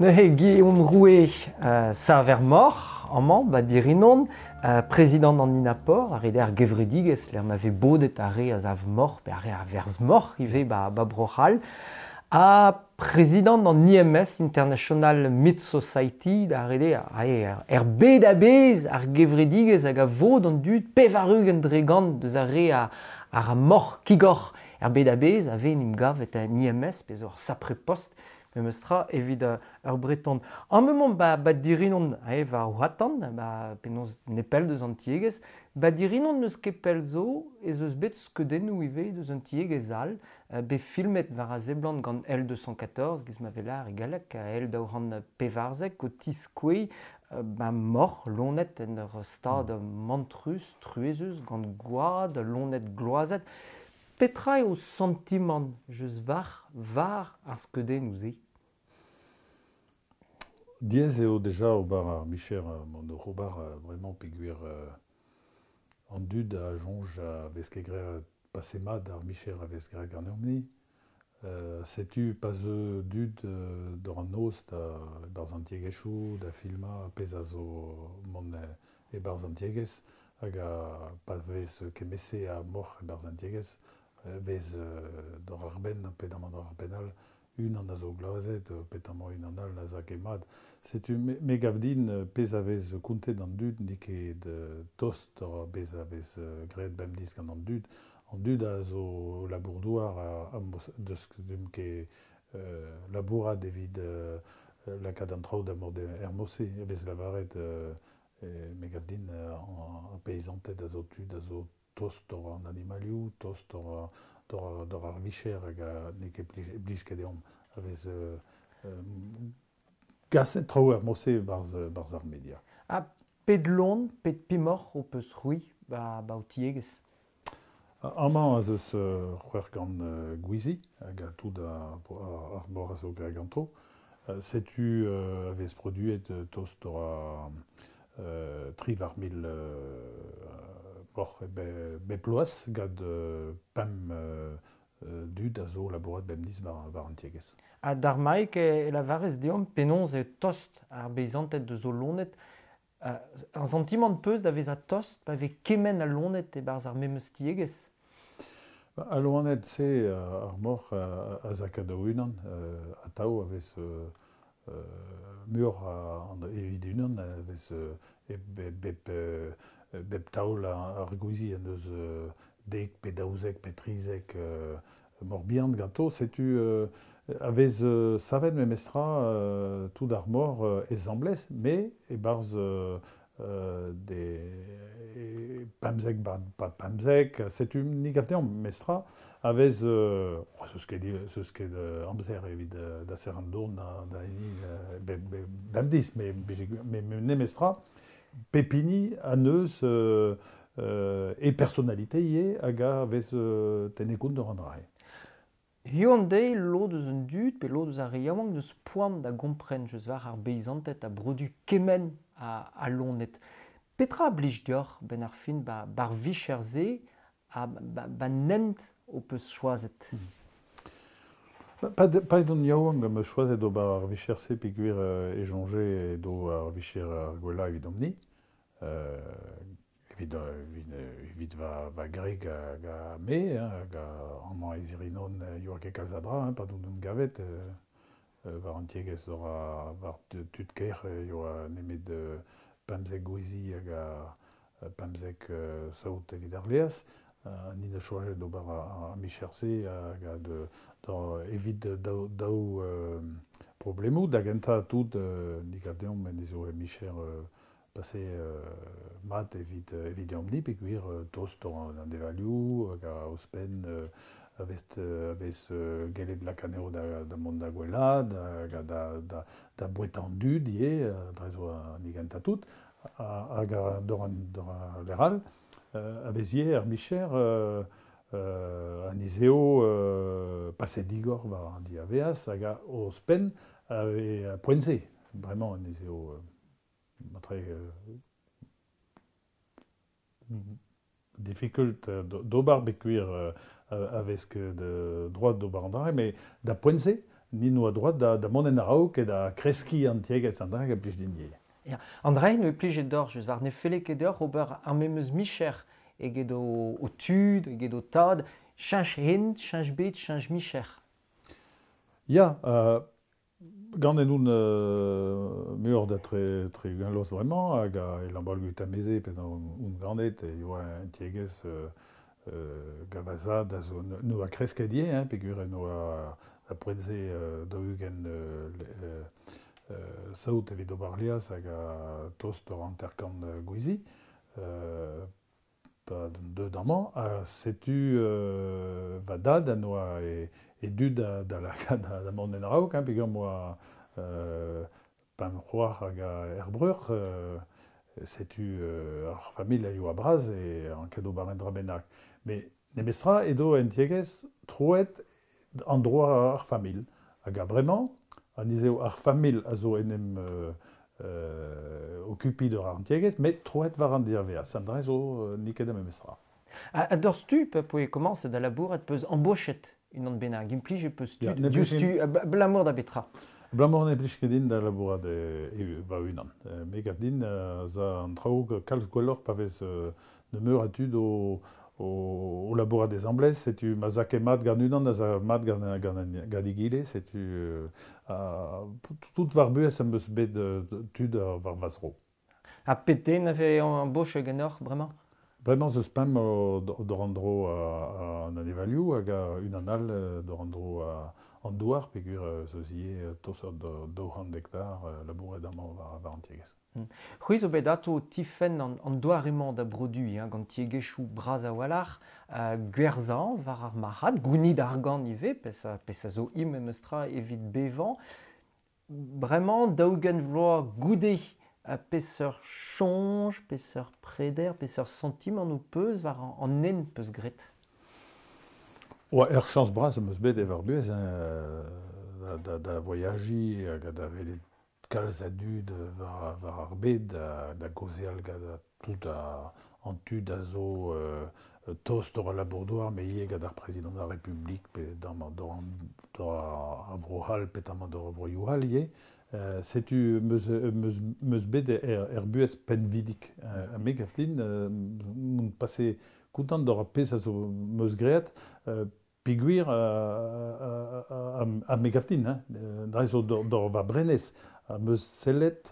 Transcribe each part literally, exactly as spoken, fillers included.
Neuze Guillaume Rouet, euh, saver moc'h, amañ, ba Dirinon, euh, prezidant an INAPOR, ar re ar gevredigezh, lec'h ma vez bodet ar re a sav moc'h, pe ar re a verzh moc'h ivez ba, ba Bro-C'hall, ha prezidant an I M S, International Meat Society, da re ar, er bed a-bezh ar gevredigezh hag a vod an dud pevar-ugent dre gant deus ar re a, ar moc'h kigoc'h er bed a-bezh a vez en em gavet en I M S, pe zo ar sapre post, memes tra evit ur breton. An moment ba, ba Dirinon, eh, war Ouatan, ba penaos nepell deus an tiegezh, ba Dirinon n'eus ket pell zo, ez eus bet skeudennoù ivez deus an tiegezh all, bet filmet war a seblant gant L deux cent quatorze, giz ma velar e galleg, L daou c'hant pevarzek, o tiskouez ba moc'h lonet en ur stad mantrus, truezus, gant gwad, lonet gloazet. Petra eo santimant just war, war ar skeudennoù-se? Diaes eo deja ober ar micher mont oc'h ober bremañ peogwir an dud a soñj a vez ket graet pase mat ar micher a vez graet ganeomp-ni. Setu pa zeu dud d'ur an noz da e-barzh an tiegezhioù, da filmañ pezh a zo mont e-barzh an tiegezh hag a pa vez kemese a moc'h e-barzh an tiegezh vez d'ur ar benn pe d'an ar benn all unan a zo glazet, pe amañ unan all a za ket mat. Setu me, me gav din pezh a vez kontet an dud n'eo ket tost ur pezh a vez graet bemdez gant an dud. An dud a zo labour-douar a, a deus ket euh, labourat evit euh, lakaat an traoù da mont er mod-se. E vez lavaret euh, me gav din an peizanted a zo tud a zo tost ur an animalioù, tost ur d'or, d'or ar vicher hag a n'eo ket blij, blij ket deomp a vez euh, euh, kaset traoù er mod-se barzh, barzh ar media. Ha pet lon, pet pimoc'h ho peus c'hwi ba, ba ho tiegezh? Amañ az eus euh, c'hwec'h gant euh, gwizi hag a tout ar, ar mor a zo graet ganto. Setu euh, a vez produet tost ur a euh, tri war mil euh, moc'h be, be ploaz gant euh, pemp euh, dud a zo labourat bemdez war, war an tiegezh. Ha d'ar maik e, e lavarez deomp penaos eo tost ar beizanted deus o lonet. Uh, ar santimant peus da vezañ tost pa vez kement a lonet e-barzh ar memes tiegezh? Ba, al loened se ar moc'h a, a zaka da unan, uh, atav a vez uh, muioc'h evit unan, a vez uh, e, be, bep, uh, bep taol ar gwizi en deus uh, dek pe daouzek pe trizek uh, moc'h bihan ganto, setu uh, a vez uh, savet memestra uh, tout ar mor uh, ezamblez, me e-barzh uh, uh, de e, pemzek ba, ba pemzek, setu ni gav deomp mestra a vez uh, oh, zeus ket, zeus ket uh, amzer evit uh, da ser an dourn da, da hini uh, be, be, bemdez, me, me, me nemestra pepini an eus euh, euh, e personalité ivez hag a vez euh, tenne kont d'ur an drae. Hiziv an deiz, lod eus an dud pe lod eus ar re yaouank deus poan da gompren just war ar beizanted a brodu kement a, a loened. Petra a blij deoc'h benn ar fin ba, bar vicher-se ha ba, ba nent ho peus choazet? Hmm. Pa, pa edon yaouank am eus choazet ober ar vicher-se peogwir e soñje edo ar vicher ar gwellañ evidomp-ni. Euh, evit, evit, evit va, va greg hag a me, hein, hag a amañ e Zirinon yoa ket kalz a dra, hein, pa don hon gavet, euh, war an tiegezh ur a, war tud ker yoa nemet pemzek gwizi hag a pemzek saout evit ar leaz. Uh, ni da choazet d'ober ar, ar micher-se hag a de, da, evit daou, daou euh, problemoù da gentañ tout euh, ni gav deomp en ezo e micher euh, pase euh, mat evit, evit deomp-ni peogwir euh, tost an, an devalioù hag a ouzhpenn euh, a vez, a vez euh, gellet lakaat da, da mont da gwellad hag a da, da, da bouetañ an dud ivez dre zo ni gentañ tout hag a d'ur an, d'ur a leral. Euh, a vez ar micher euh, euh, an izeo euh, paset digor war an diaveaz hag a ouzhpenn a vez poent-se. Bremañ an izeo euh, matre euh, difficult d'ober peogwir euh, a vez ket droit d'ober an dra, mais da poent-se ni noa droit da, da mont en araok e da kreski an tiegez an drag a plij din ivez. Ya. An dra ne plij d'or, just war ne felle ket d'or ober ar memeus micher eget o, o tud, eget o tad, cheñch hent, cheñch bet, cheñch micher. Ya, euh, gant en oun euh, meur da tre, tre los vraiment, hag a e lambal gut ameze pe oun ganet, e yoa un tiegez euh, euh, gavazad a zo no a kreskadie, hein, peogwir no a, a poent-se euh, daou-ugent euh, euh, euh, saout evit ober liaz hag a tost ur hanter-kant gwizi, euh, pa deut amañ, ha setu euh, va dad a noa e, e dud da, da, la, da, da mont en araok, hein, peogwir moa euh, pemp c'hoar hag a er breur, euh, setu euh, ar familh a yoa braz e an ket ober en dra bennak. Me nemestra edo en tiegez troet an droa ar familh. Hag a bremañ, an izeo ar familh a zo en em euh, euh, okupi d'ur ar tiegez, met troet war an diaveaz. An dra zo euh, niket a memestra. A, a d'ur stu, pe poe komañs da labourat peus embochet unan bennak, implij e peus Ya, tud, ne diouzh plij tu, abalamour da betra. Abalamour ne plij ket din da labourat e, e va unan. E, me gav din euh, za an traoù kalz gwelloc'h pa vez euh, nemeur a tud o, o, o labourat des amblez, setu ma za ket mat gant unan, a za mat gant, gant, gant egile, setu euh, a, tout war buhez am eus bet euh, tud ar war va zro. Ha pet den a vez embochet ganeoc'h bremañ? Bremañ zeus pemp o d'or an dro a, a an anevalioù hag a unan all d'or an dro a an douar peogwir zeus ivez tost ur daou c'hant hektar labouret amañ war, war an tiegezh. Hmm. C'hwi zo bet ato tifenn an, an doare-mañ da broduiñ, hein, gant tiegezhioù bras a-walc'h, uh, gwerzhañ war ar marc'had, gounid argant ivez, pezh a, pezh a zo im memes tra evit bevañ. Bremañ, daou-ugent vloaz goude a peseurt soñj, peseurt preder, peseurt santimant ho peus war an, an hent peus graet? Oa, ur chañs bras am eus bet e war buhez, hein, da, da, da voyajiñ hag da welet kalz a dud war, war ar bed, da, da gaozeal gant tout a, an tud a zo euh, tost ur labour-douar, me ivez gant ar prezidant ar Republik, pe d'am d'or ar vro-C'hall, pe d'am d'or ar vroioù all ivez. Euh, setu meus, meus, meus bet er, er buhez penvidik. Euh, me gav din, euh, moun pase kontant d'or ar pezh a zo meus graet, euh, peogwir euh, a, a me gav din, hein, dre zo d'or, d'or va brenez, a meus sellet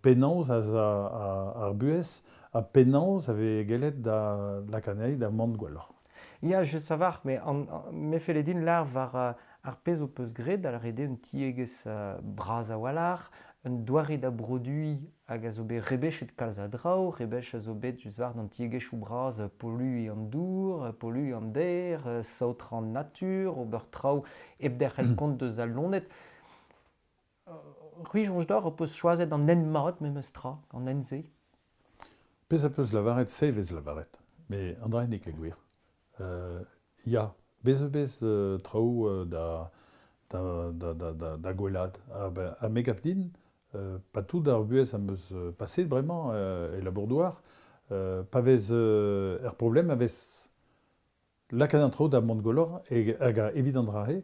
penaos a, a, a, ar buhez, a penaos a vez gellet da lakanei da mont gwelloc'h. Ya, je savar, mais an, an, me felle din lar war uh, ar pezh ho peus graet, da lâret eo un tiegezh uh, bras a-walc'h, un doare da broduiñ hag a zo bet rebechet kalz a draoù, rebech a zo bet just war d'an tiegezhioù bras polluiñ an dour, polluiñ an der, saotr an natur, ober traoù hep derc'hel kont deus al loened. C'hwi soñj deoc'h ho peus choazet an hent mat memes tra, an hent-se? Pezh a peus lavaret, se vez lavaret, me an dra n'eo ket gwir. Euh, ya, bez eus bez euh, traoù euh, da, da, da, da, da, da gwellad. Ha, ben, ha me gav din, euh, pa tout ar buhez am eus paset bremañ euh, e labour-douar, euh, pa vez euh, er problem a vez lakaat an traoù da mont gwelloc'h e, hag a evit an dra-se,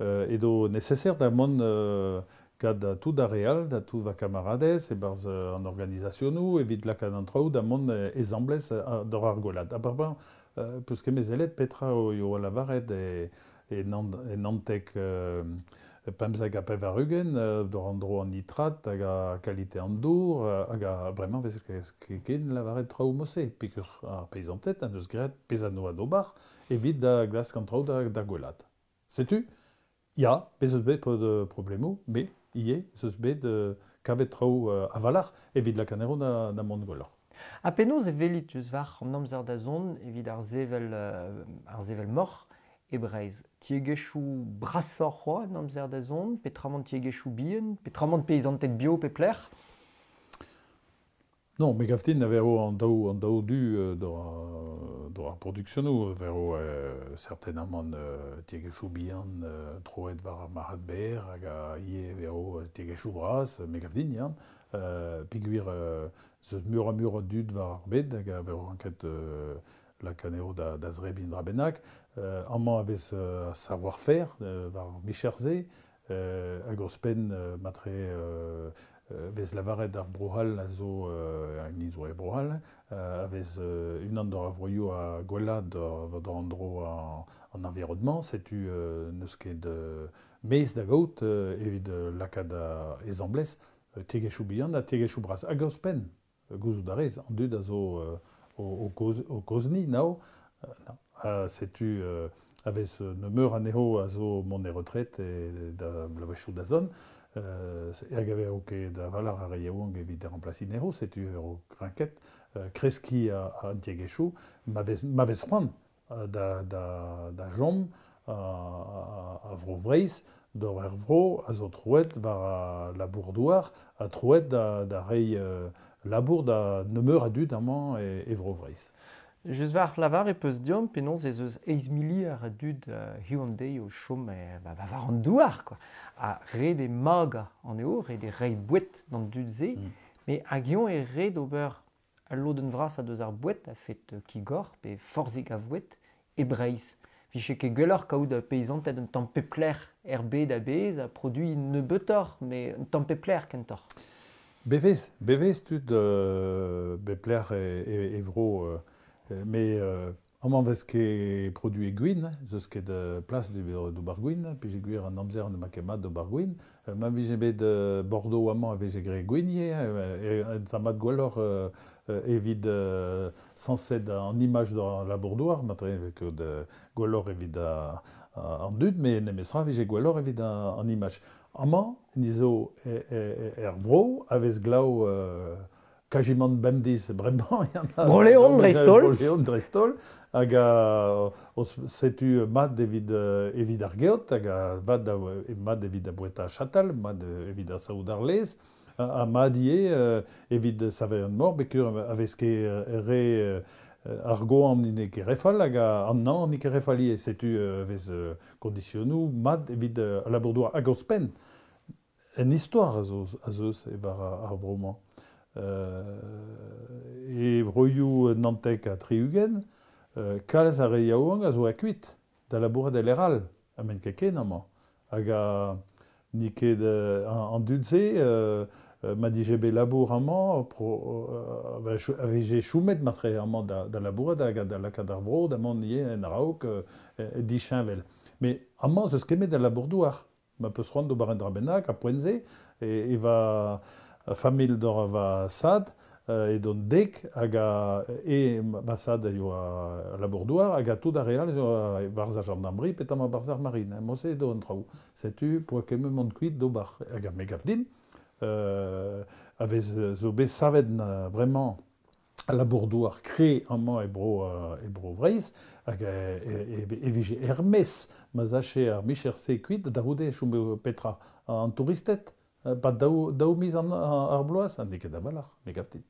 euh, edo nécessaire da mont euh, gant da tout ar re all, da tout va kamaradez, e-barzh an organizationoù, evit lakaat an traoù da mont ezamblez d'or ar gwellad. Ha bremañ, euh, peus ket mezelet petra o yo lavaret e, e, nan, e nantek euh, pemzek ha pevar-ugent, euh, d'or an dro an nitrat hag a kalite an dour, hag a bremañ vez ket ken lavaret traoù mose, peogwir ar peizanted an deus graet pezh a noa d'ober evit da glask an traoù da, da gwellad. Setu, ya, bez eus bet de problemoù, me ivez eus bet euh, kavet traoù euh, a-walc'h evit lakaat da, da mont gwelloc'h. Ha penaos e welit eus war an amzer da zont evit ar sevel, euh, ar sevel moc'h e Breizh? Tiegezhioù brasoc'h c'hoazh an amzer da zont, petramant tiegezhioù bihan, petramant peizanted bio pe plec'h? Non, me gav din a vero an daou, an daou du euh, d'or, d'or ar produksionoù, a vero euh, certainement euh, tiegezhioù bihan euh, troet war ar marc'had berr hag a ivez vero tiegezhioù bras, me gav din, ya. Euh, peogwir euh, zeus meur a meur a dud war ar bed hag a vero anket euh, lakaneo da, da zrebin dra bennak. Euh, amañ a vez euh, savoir-faire euh, war micher-se, euh, hag ur spenn euh, matre euh, vez lavaret ar brohal a zo euh, an zo e brohal, euh, a vez euh, unan d'ar avroioù a gwella d'ar an dro an, an environnement, setu euh, neus ket euh, mez da gaout euh, evit euh, lakaat a ezamblez, euh, tiegezhioù bihan ha tiegezhioù bras. Hag ur spenn, gouzout a rez, an dud a zo euh, o, o, koz, o kozni nao, euh, non. Uh, setu euh, a vez nemeur anezho a zo mont e retret e da bloavezhioù da zon, euh, hag a vez ket da valar ar yaouank evit remplasiñ anezho, setu ur grinket, euh, kreskiñ a, a an tiegezhioù, ma vez, ma vez c'hoant da, da, da jom a, a, a vro Vreizh, d'or er vro a zo troet war a labour douar, a troet da, da reiñ euh, labour da nemeur a dud amañ e, e vro Vreizh. Just war lavar e peus diom penaos ez eus eizh miliard a dud uh, hiziv an deiz o chom e, ba, ba war an douar, quoi. Ha ret e maga an eo, ret e reiñ boued d'an dud-se, mm. Mais hag eñ e ret ober al lodenn vras a deus ar boued a fet kigor pe forzhig a voued e Breizh. Vije ket gwelloc'h kaout peizanted un tamm pepler er bed a-bezh a produit nebeutoc'h, mais un tamm pepler kentoc'h. Bevez, bevez tud euh, bepler e, e, e vro... Euh, Mais euh, amañ vez ket produit gwin, zeus ket euh, plas d'ober gwin, pije gwir an amzer ne ma ket mat d'ober gwin. Euh, ma vije bet euh, Bordeaux amañ a vije graet gwin ivez, e ta mat gwelloc'h euh, evit euh, sañset an imaj d'ar labour-douar, matre ket gwelloc'h evit an dud, mais nemestra vije gwelloc'h evit an imaj. Amañ, nizo er vro a vez glav euh, Kajimant bemdez bremañ. Bro-Leon dreist-holl. Bro-Leon dreist-holl. Hag a, setu mat evit, evit ar geot, hag a vat da, mat evit a boueta chatal, mat evit a saout ar lez, ha mat ivez evit saver an mor, bekur a vez ket re ar goan n'eo ket refal, hag an nañ n'eo ket refal ivez. Setu vez kondisionoù mat evit labour-douar. Hag ouzhpenn, en istor a zo, a zeus e war ar vro-mañ. Euh, e broioù Nantek ha tri-ugent, euh, kalz ar re yaouank a zo akuit da labourat el eral, a men ket ken amañ. Hag a ni ket euh, an dud-se, euh, ma dije bet labour amañ, pro, euh, a vije choumet matre amañ da, da labourat hag da lakaat ar vro, da mont ivez en araok euh, disheñvel. Mais amañ zeus kemet da labour-douar. Ma peus c'hoant d'ober un dra bennak, a poent-se, e, e va... familh d'or va sad euh, e don dek hag a e va sad a yoa labour-douar hag a tout ar real zo barz ar gendarmerie petam a barz ar marine. Mose edo an traoù. Setu poa kement mont kuit d'ober. Hag a me gav din euh, a vez zo bet savet na bremañ labour-douar kre amañ e bro, e bro Vreizh hag e, e, e vije Hermès ma zache ar micher-se kuit da c'houde chom petra an touristed. Pa daou, daou miz an, ar bloaz, an n'eo ket a-walc'h, me gav din.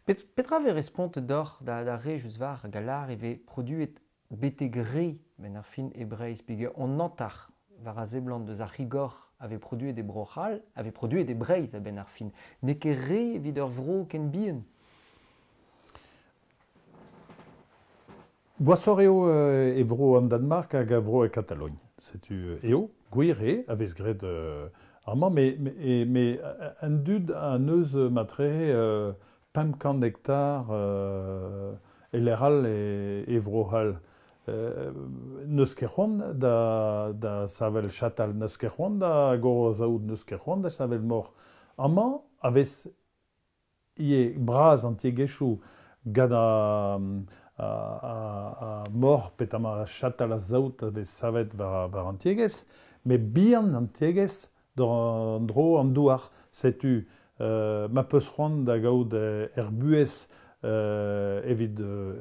Pet, petra vez respont d'or da, da re just war hag a lar e vez produet betek re ben ar fin e Breizh, peogwir on antar war a seblant deus ar c'higor a vez produet e Bro-C'hall, a vez produet e Breizh a-benn ar fin. N'eo ket re evit ur vro ken bihan. Gwasoc'h eo e vro an Danmark hag a vro e Katalogn. Setu eo, gwir eo, a vez graet euh, amañ, mais, mais, mais an dud an eus matre euh, pemp kant hektar euh, e e, e vro-c'hall. Euh, neus ket c'hoant da, da savel chatal, neus ket c'hoant da gorozaout, neus ket c'hoant da savel mor. Amañ, a vez ivez bras an tiegezhioù gant a, a, a, a mor petamant a chatal a zaout a vez savet war, war an tiegezh, mais bihan an tiegezh d'an dro an douar. Setu euh, ma peus c'hoant da gaout er buhez euh, evit euh,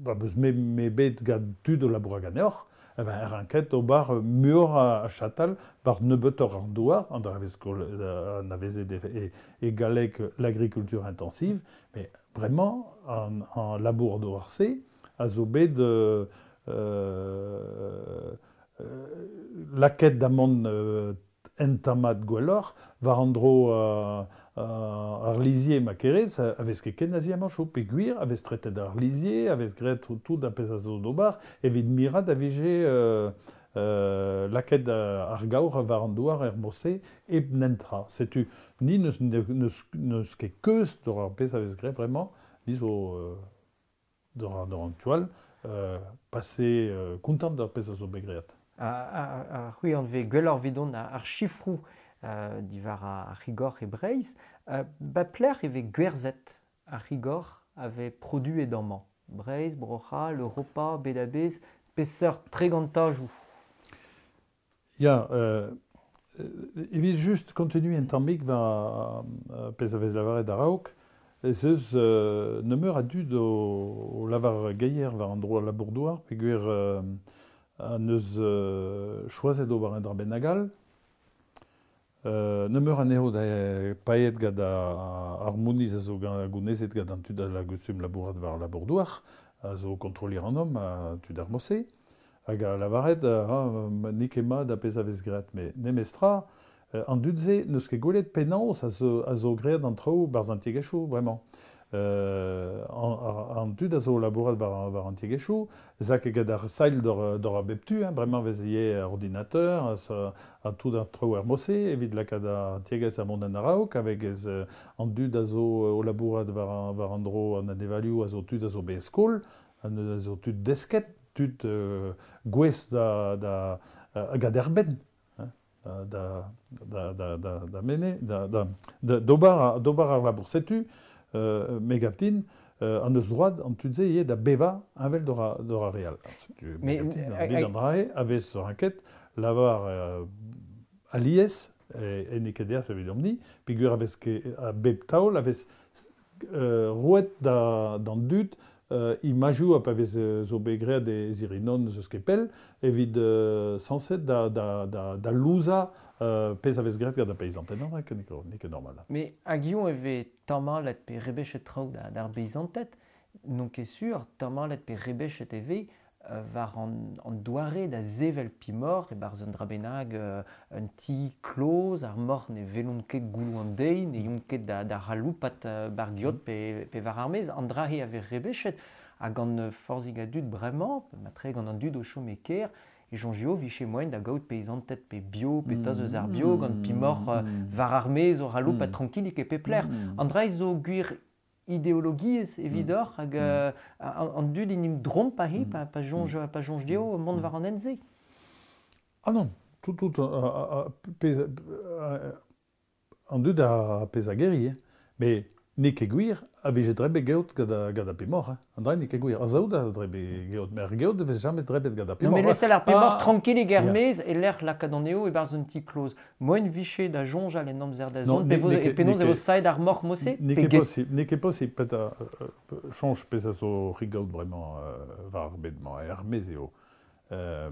ba beus me, me bet gant tud o labour ganeoc'h, eh ben, er anket ober muioc'h a, a chatal war nebeutoc'h an douar, an dra an avezet e, e galleg l'agriculture intensive, mais vraiment an, an labour douar-se a zo bet euh, euh, lakaet da mont euh, entamat gwelloc'h, war an dro euh, euh, ar lizier ma kerez, a vez ket ken azi amañ chou, peogwir a vez tretet ar lizier, a vez graet tout a pezh a zo d'ober, evit mirat a vije euh, euh, laket ar gaour war an douar er mose eb nentra. Setu ni neus, neus, neus ket keuz d'or ar pezh a vez graet bremañ, ni zo euh, d'or ar, an tual, euh, passé euh, kontant d'ar pezh a zo bet graet. A, a, a c'hwi an vez gwelloc'h vidon ar chifrou euh, diwar ar c'higor e Breizh, euh, ba plec'h e vez gwerzhet ar c'higor a vez produet amañ. Breizh, Bro-C'hall, Europa, Bedabez, peseurt tregantajoù. Ya, euh, evit just continue un tammig war euh, pezh a vez lavaret a-raok, ez eus euh, nemeur a dud o, o lavar geier war an dro al labour-douar, peogwir euh, an eus euh, choazet ober un dra bennak all. Euh, nemeur anezho da paeet gant ar mouniz a zo gounezet gant an tud a la gustum labourat war labour-douar, a zo kontrollir an homme a tud ar mose, hag a lavaret ah, n'eo ket mat a pezh a vez graet, met nemestra, an dud-se n'eus ket gwelet penaos a zo, a zo graet an traoù barzh an tiegezhioù, bremañ. Euh, an, an dud a zo labourat war, war an tiegezhioù, ez a ket gant ar sail d'or, d'or a bep tu, hein, bremañ vez ivez ordinateur, a, a tout ar traoù er mose, evit lakaat ar tiegezh a mont an araok, avec ez, an dud a zo o labourat war, war an dro an anevalioù a zo tud a zo bet skol, an a zo tud desket, tud euh, gouez da, da, hag a derbenn. Da, da, da, da, da mene, da, da, da, d'ober, d'ober ar labour setu, euh, me gav din, euh, an eus droad an tud-se ivez da beva heñvel d'or a, d'or a real. Setu, me gav din, an dit an drae, a vez ur enquête, lavar euh, alies, e, e n'eo ket deas evit omni, peogwir a vez ket, a bep taol, a vez euh, roet da, d'an dud, euh, imajou a pa vez zo bet graet e zirinon eus ket pell, evit euh, sañset da, da, da, da louza euh, pezh a vez graet gant ar peizanted, non, n'eo ket, ket normal. Mais hag eo e vez tamallet pe rebechet traoù da, d'ar beizanted, n'on ket sur, tamallet pe rebechet e vez euh, war an, an doare da sevel pimor, e barzh un dra bennak euh, un ti kloz, ar mor ne velont ket gouloù an deiz, ne yont ket da, da raloupat euh, bar giot pe, pe war ar maez, an dra he a vez rebechet, hag an euh, forzhig a dud bremañ, matre gant an dud o chom e kêr, e soñjio 'vije moaien da gaout peizanted pe bio, pe taz eus ar bio, gant pimor euh, war ar maez o raloupat mm. trankilik e pep lec'h. Mm. An dra zo gwir ideologiezh evidoc'h hag euh, an, an dud in dromp pa he, pa, pa soñj, pa soñj dezho mont war an hent-se. Ah non, tout, tout, euh, pezh, euh, an dud a pezh a geri, hein. Mais n'eo ket gwir a vije drebet geot gant a, gant a pemoc'h, hein. An dra n'eo ket gwir. A zaout a drebet geot, mais ar geot vez jamais drebet gant a pemoc'h. Non, mais laissez ar pemoc'h ah, tranquillig er maez e lec'h lakaat an eo e barzh un ti kloz. Moen viche da soñjal en amzer da zont, pe e penaos e vo saet ar moc'h mose? N'eo ket possible, n'eo ket possible, pet a soñj pezh a zo rigaout bremañ euh, war ar bed-mañ, er maez eo. Euh,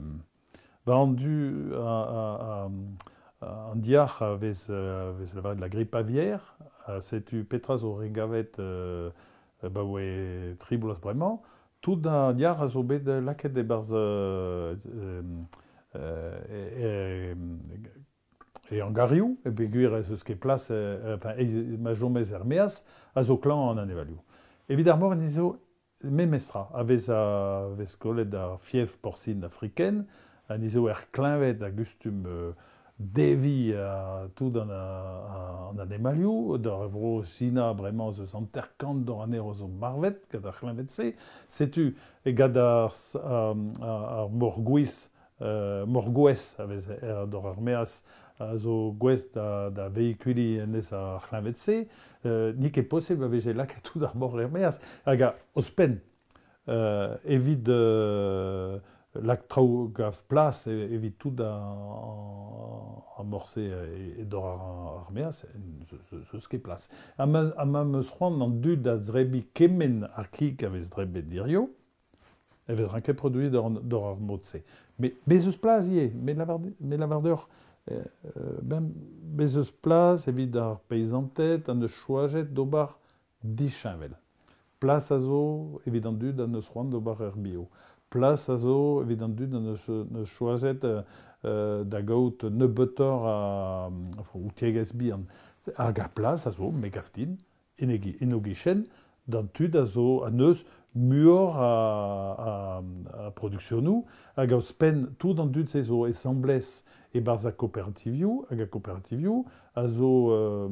war an du a, a, a, an diac'h a vez, a vez lavaret la grippe aviaire, setu petra zo rigavet euh, ba oe tri bloaz bremañ, tout an diac'h a zo bet lakaet e-barzh euh, euh, e, e, e an garioù, e peogwir ez eus ket plas, euh, enfin, e, ma jomez er meaz, a zo klañv an anevalioù. Evit ar mor en izo memestra, a vez a vez kollet ar fièvre porcine africaine, an izo er kleñved a gustum euh, devi a tout an, a, an anemalioù, d'ar vro Sina bremañ eus hanter-kant d'or anezho zo marvet, gant ar c'hleñved-se. Setu e gant ar, ar, ar morgouez, euh, morgouez a vez er, d'or ar meaz a zo gouez da, da vehikuli enez ar c'hleñved-se, euh, n'eo ket posibl a vije lakaet tout ar mor er meaz. Hag a ouzhpenn, euh, evit euh, lak traoù gav plas evit tout a, a morse e, e d'or ar, ar meaz, zeus ket plas. Ha ma, ha ma meus c'hoant an dud da zrebi kement ar kig a vez drebet dirio, e vez ranket produit d'or, d'or ar mod-se. Mais bez eus plas ivez, me lavar, me lavar deoc'h, euh, ben, bez eus plas evit ar peizanted an eus choajet d'ober disheñvel. Plas a zo evit an dud an eus c'hoant d'ober er bio. Plas a zo evit an dud an eus, eus choajet euh, da gaout nebeutoc'h a, enfin, ou tiegezh bihan. Hag ar plas a zo, me gav din, en e, en o gichen, d'an tud a zo a neus muor a, a, a produksionou, hag a spen tout an dud se zo esamblez e barz a kooperativioù, hag a kooperativioù a zo euh,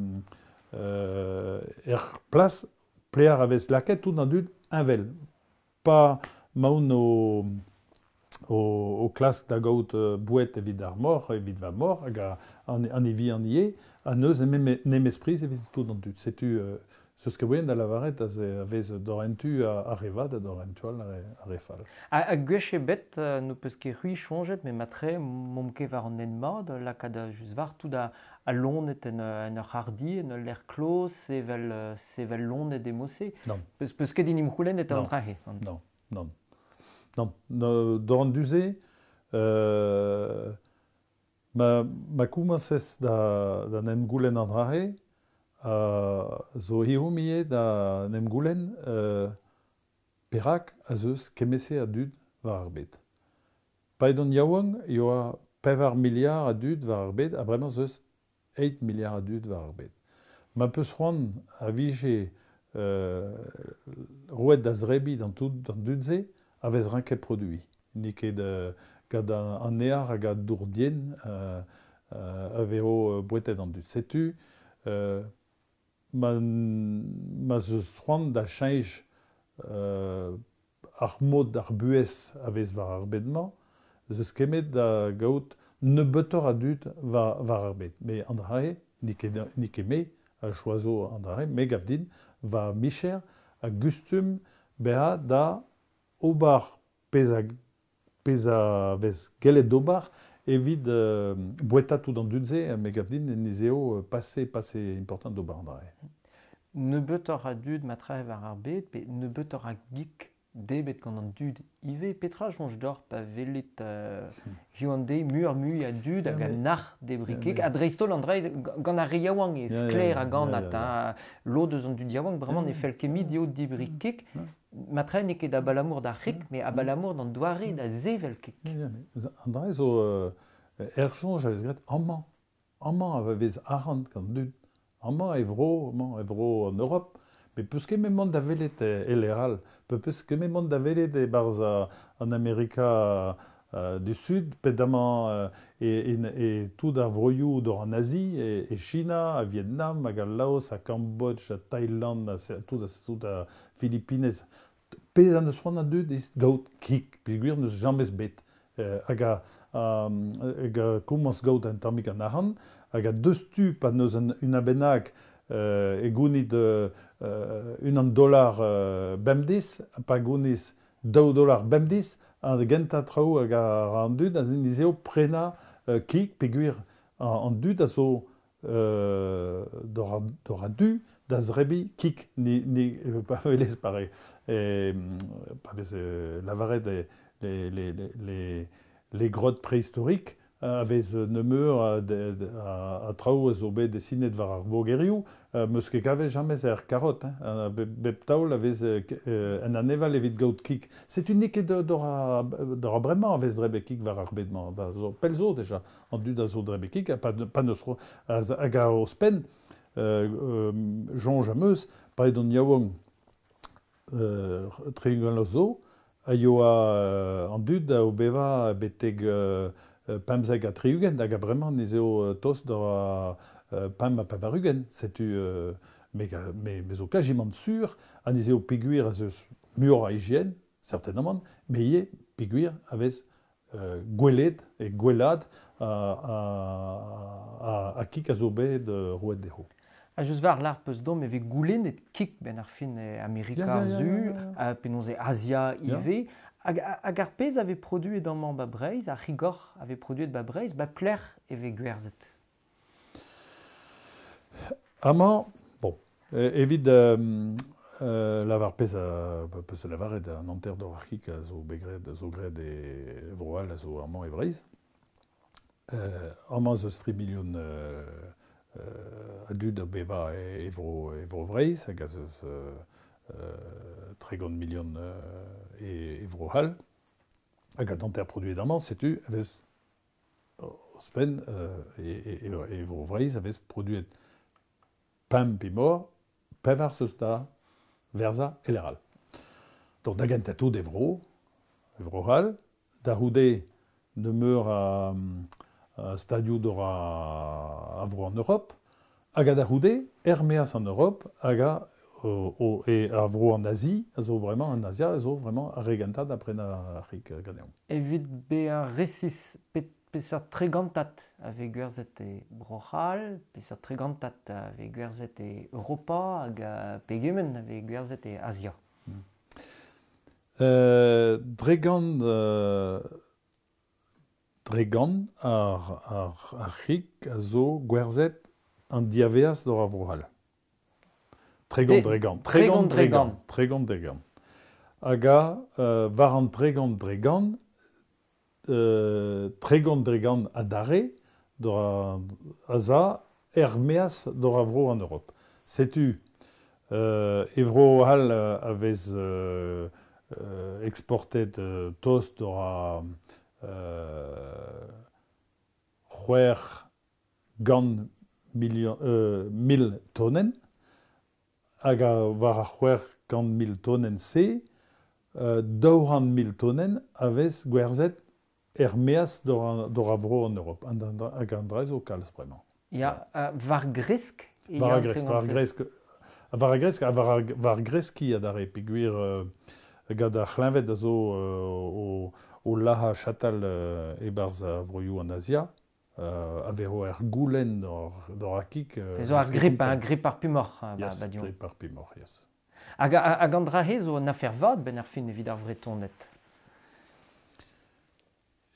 euh, er plas plear a vez laket tout an dud invel. Pa maoun o, o, o klas da gaout bouet evit ar mor, evit va mor, hag a, an, an evi an ie, a neus nemespriz evit tout an dud. Setu euh, ce ket voen da lavaret a vez dorentu a revad a dorentu al a refal. A, a gwech ebet euh, no peus ket c'hui chonjet, me matre mom ket war an en mat, lakaat a just war tout a, a lonet en, en ur hardi, en ur l'air clos, sevel, sevel lonet emose. Non. Peus, peus ket in imc'houlen et an drahe. Non, non. Non, no, doran duze, euh, ma, ma koumañsez da, da nem goulen an drahe, Uh, zo hiomie da nem goulen uh, perak a zeus kemese a dud war ar bed. Paedon yaouang yoa pevar miliard a dud war ar bed, a bremañ zeus eight miliard a dud war ar bed. Ma peus c'hoant a vije euh, roet da zrebi d'an tout d'an dud ze, a vez rinket produit. Ni ket euh, gant an ear hag a dourdien euh, euh, a vezo bouetet an dud. Setu, euh, ma, ma zeus c'hoant da cheñch euh, ar mod ar buez a vez war ar bed-mañ, zeus kemet da gaout nebeutoc'h a dud war, war ar bed. Me an drae, ni ket, ni ket me, a choazo an drae, me gav din, va micher a gustum beha da ober pez a, pez a vez gellet d'ober evit euh, boueta tout an dud ze, me gav din nizeo passé, passé important d'ober an drae. Nebeutoc'h a dud matre war ar bed, pe nebeutoc'h a gik debet gant an dud ive. Petra soñj d'or pa velet euh, hiziv an deiz muioc'h mui a dud hag a nac'h debri kig, a dreist-holl an drae gant ar re yaouank e sklaer hag anat, hein, lod eus an dud yaouank, bremañ ne fell ket mit dezho debri kig, matre n'eo ket abalamour d'ar c'hig, mais abalamour d'an doare da sevel kig. An drae zo er soñj a vez graet amañ, amañ a vez arc'hant gant dud, amañ e vro, amañ e vro an Europe, mais peus ket mont da welet e leral, peus ket mont da welet e barz an Amerika euh, du Sud, pedamañ euh, e, e, e tout ar vroioù d'or an Asie, e, e China, a Vietnam, hag a Laos, a Cambodge, a Thaïland, a, tout, a, tout a Philippines. Pez an eus c'hoant a dud is gaout kig, peogwir n'eus jamez bet. Euh, hag a, hag a komañs gaout an tammig an arc'hant, hag a deus tu pa n'eus un, un abennak euh, e gounit euh, un an dollar euh, bemdez, pa gouniz daou dollar bemdez, an gentañ traoù hag a an dud, a zeo prena euh, kig, peogwir an, an dud a zo euh, d'or a du da zrebi kig, ni, ni pa velez pare, e, pa vez euh, lavaret e, les, les, les, les grottes préhistoriques a vez nemeur a, a, a traoù a zo bet desinet war ar vogerioù, meus ket kavet jamez er karot, hein, bep taol a vez en aneval evit gaout kig. Setu n'eo ket d'or a, d'or a bremañ a vez drebe kig war ar bed-mañ, va zo pell zo deja, an dud a zo drebe kig, pa, pa neus hag a ouzhpenn, euh, soñj am eus, pa edon yaouank euh, tri-ugent zo, a yoa an dud a obeva betek euh, pemzek ha tri-ugent, hag a bremañ ne zeo tost d'or a pemp ha pevar-ugent. Setu euh, me, me, me zo kajimant sur, ha ne zeo peogwir a zeus muioc'h a hygiène, certainement, mais ivez peogwir a vez euh, gwelet e gwelad a, a, a, a kig a zo bet roet dezho. A just war l'ar peus dom e vez goulennet kig ben ar fin e Amerika ar Su, penaos e Asia ivez. Hag, hag ar pezh a vez produet amañ ba Breizh, ar c'higor a vez produet ba Breizh, ba plec'h e vez gwerzhet. Amañ, bon, evit euh, euh, lavar pezh a, peus a lavaret an hanter d'or ar c'hig a zo bet graet, a zo graet e vro-all a zo amañ e Breizh. Euh, amañ zo tri milion euh, euh, a dud a beva e, e vro, e vro Breizh, hag a zeus euh, euh, tregont milion euh, e, e vro hall. Hag a danter produet amañ, setu a vez ouzhpenn euh, e, e, e vro Breizh a vez produet pemp pe mor, pevar zeus da verza eleral. Donc da gentañ tout e vro, e vro hal, da c'houde nemeur a, a stadioù d'or a, a vro an Europe, hag a da c'houde, er-maez an Europe, hag a o, o, e a vro an Asie, a zo vraiment an Asia, a zo vraiment ar re gentañ da prenañ ar c'hig ganeomp. Evit bezañ resis pet peseurt tregantat a vez gwerzhet e Bro-C'hall, peseurt tregantat a vez gwerzhet e Europa hag pegement a vez gwerzhet e Azia. Hmm. Euh, dregant, euh, dregant ar, ar, ar c'hig a zo gwerzhet an diaveaz d'or ar Vro-C'hall. Tregont dregant. Tregont dregant. Tregont dregant. Hag a, euh, war an tregont dregant, euh, tregont dregant adarre d'or a za er-maez d'or a vro an Europe. Setu, euh, e vro hal a vez euh, euh, exportet euh, tost d'or a euh, c'hwec'h gant million, euh, mil tonenn, hag a war ar c'hwec'h gant mil tonenn se, euh, daou c'hant mil tonenn a vez gwerzhet er-maez d'or a vro an Europe. Hag an dra zo kalz bremañ. Ya, uh, war gresk? War gresk, war gresk. War gresk, war, war greski adarre, peogwir euh, gant ar c'hleñved a zo euh, o, o laha chatal euh, e-barzh ar vroioù an Azia, euh, a vezo er goulenn d'or, d'or ar kig. Euh, zo ar grip, ar grip ar pumoc'h. Yes, ba, ba grip ar pumoc'h, yes. Hag, hag an dra-he zo an afer vat ben ar fin evit ar Vretoned.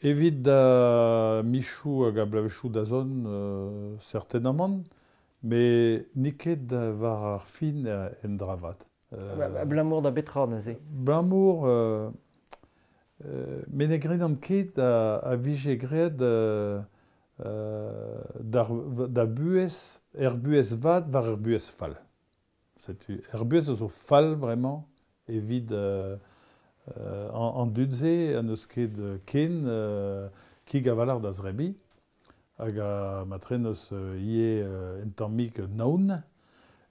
Evit da michou hag a blavezhioù da zont, euh, certainement, mais n'eo ket war ar fin en dra vat. Euh, Abalamour da betra neuze? Abalamour, euh, euh, me ne gredan ket a, a vije graet euh, da, da buhez, er buhez vat war er buhez fall. Setu, er buhez a zo fall bremañ evit euh, Euh, an, an dud-se an eus ket ken euh, kig a-walc'h da zrebi hag a matren eus euh, ivez euh, un tammig naon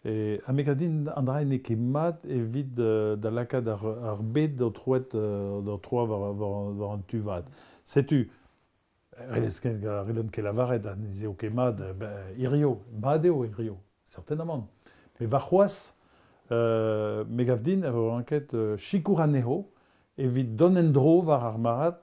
e ha me gav din an dra n'eo ket mat evit euh, da lakaat ar, ar bed d'o troet euh, d'o troa war, war, war an tu vat. Setu, relez ket relent ket lavaret ha ne eo ket mat ben, hirio, mat eo hirio, certainement. Mais war c'hoazh, euh, me gav din a vo ranket euh, sikour anezho evit dont en dro war ar marad,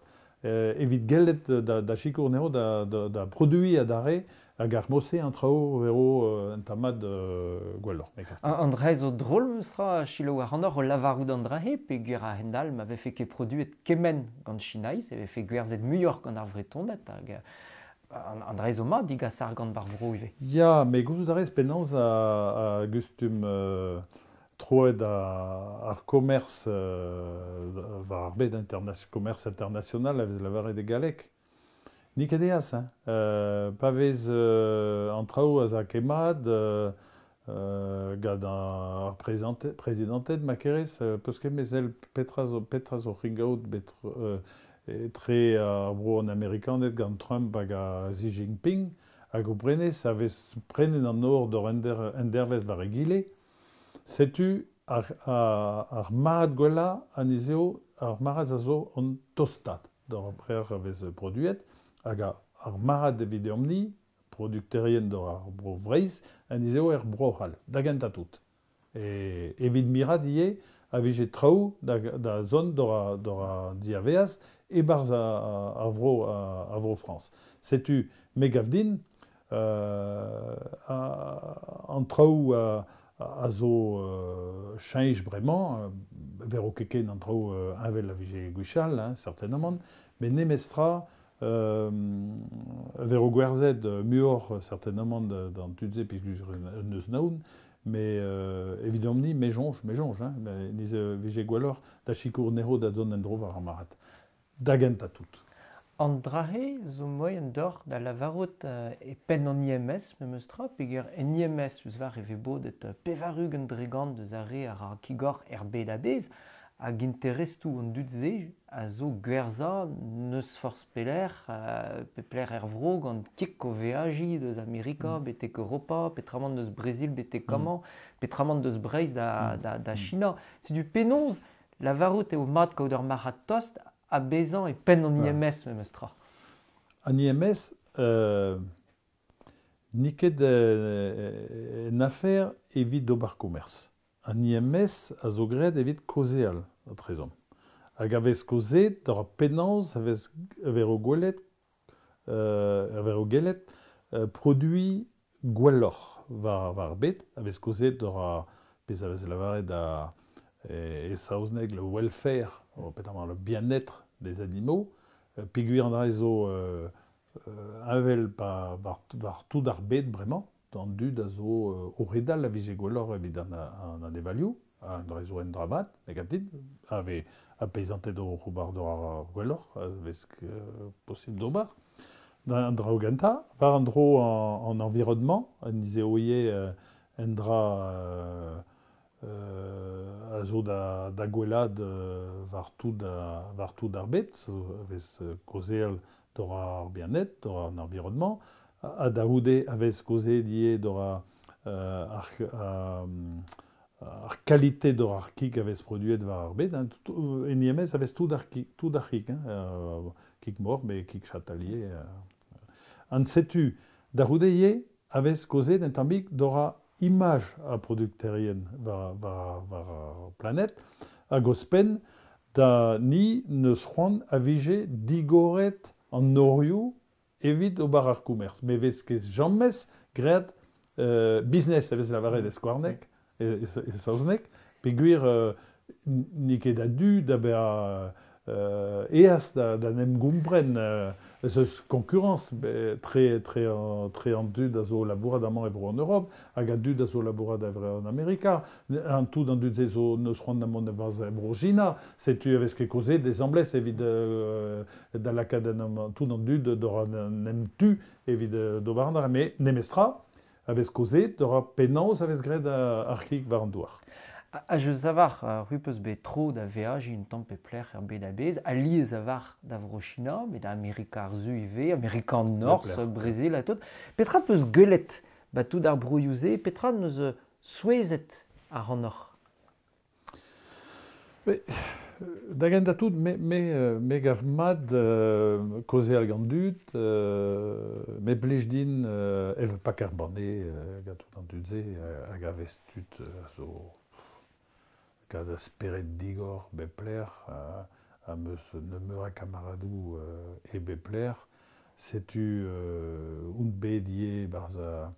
euh, evit gellet da, da sikour anezho da, da, da produiñ adarre hag ar mose an traoù vero euh, un tamad euh, gwelloc'h. An, an dra zo drol meustra selaou ac'hanoc'h o lavarout an dra-he peogwir a-hend-all ma vefe ket produet kement gant Chinaiz, e vefe gwerzhet muioc'h gant ar Vretoned hag an, an dra zo mat digas ar gant bar vro ivez. Ya, met gouzout a rez penaos a, a gustum euh, troet a, ar commerce euh, war ar bed interna- commerce international a vez lavaret e galleg. N'eo ket eas, hein. Euh, pa vez euh, an traoù a za ket mat, euh, euh, gant ar prezident, prezidanted ma kerez, euh, peus ket mezel petra zo, petra zo ringaout bet euh, etre ar bro an Amerikaned gant Trump hag a Xi Jinping, hag o prenez a vez prenen an nor d'or ender, endervez war egile, setu ar, ar, ar marad gwellañ anezho ar marad a zo an tostat d'ar brer a vez produet, hag ar marad evit deomp-ni, produkterien d'or ar bro Vreizh, anezho er bro c'hall, da gentañ tout. E evit mirat ivez a vije traoù da, da zont d'or a, d'or a diaveaz e-barzh a, a, a vro, a, a vro Frañs. Setu me gav din euh, a, an traoù a, a zo euh, cheñch bremañ, euh, vero ket ken an traoù euh, heñvel a vije gwechall, hein, certainement, met nemestra euh, vero gwerzhet muioc'h certainement d'an tud-se peogwir un eus naon, mais euh, evidomp-ni, me soñj, me soñj, hein, niz vije gwelloc'h da sikour anezho da dont en-dro war ar marc'had. Da gentañ tout. An dra-he zo moaien deoc'h da lavarout euh, e penn an I M S memes tra, peogwir en I M S eus war e vez bodet pevar-ugent dre gant deus ar re ar ar kigoc'h er bed a-bezh, hag interestoù an dud-se a zo gwerzhañ n'eus forzh pelec'h, euh, pe pelec'h er vro gant kik o veajiñ deus Amerika, mm. betek Europa, petramant deus Brazil betek amañ, mm. petramant deus Breizh da, mm. da, da China. Setu penaos lavarout eo mat kaout ur marc'had tost ha bezañ e penn an I M S memes tra. An I M S, euh, n'eo ket euh, un affaire evit d'ober commerce. An I M S a zo graet evit kaozeal, a-trezomp. Hag a vez kaozeet d'ur penaos a vez a vez gwelet, euh, a vez gwelet euh, produit gwelloc'h war, war ar bed, a vez kaozeet d'ur a, pezh a vez lavaret da e, e saozneg le welfare, o petamant le bien-être des animaux, euh, peogwir an dra zo euh, euh, avel pa, war, war tout ar bed bremañ, d'an dud a zo euh, o redal a vije gwelloc'h evit an, an anevalioù, an dra zo en dramat, me gav dit, a vez a peisanted o c'hobar d'or ar gwelloc'h, a vez euh, possible d'ober. An dra o genta, war an dro an, an environnement, an izeoie euh, en dra euh, euh, a zo da, da gwellad euh, war tout a, war tout ar bed, zo a vez kaozeal d'or ar bien-être, d'or an environnement, a da houde a vez kaozeet ivez d'or a, euh, ar, euh, ar qualité d'or ar kig a vez produet war ar bed, hein, tout, en I M S a vez tout ar kig, tout ar kig, hein, euh, kig mor, mais kig chatalier. Euh. An setu, da houde ivez a vez kaozeet un tammig d'or a image a producterien war, war, war ar planète, hag ouzhpenn da ni neus c'hoant a vije digoret an norioù evit ober ar commerce. Me vez ket james graet euh, business a vez lavaret e skouarnek, e, e, e saozneg, peogwir euh, n'eo ket a du da bezañ euh, eas da, da n'em gompren euh, ez eus concurrence be, tre, tre, tre an dud a zo labourat amañ e vro en Europe, hag a dud a zo labourat a vro en Amerika, an tout an dud se zo neus c'hoant da mont e bro China, setu a vez ket kaozeet des amblez evit euh, da lakaat an, tout an dud d'or an em tu evit d'ober an dra, met nemestra a vez kaozeet d'or penaos a vez graet ar c'hig war an douar. A je savar, uh, ru peus bet tro da veajiñ un tamm pe plec'h er bed a-bezh, a lies a var da vro China, met da Amerika ar Su ivez, Amerika an Norzh, Brazil ha tout. Petra peus gwelet ba tout ar broioù-se, petra neus souezhet ar anoc'h? Mais, da gentañ tout, me, me, me gav mat euh, kaozeal gant dud, euh, me blij din euh, evel pak ar banne euh, gant tout an dud-se, euh, hag a vez tud euh, zo gant a spered digor bep lec'h, a, a meus nemeur a kamaradoù euh, e bep lec'h, setu euh, un bet ivez barzh a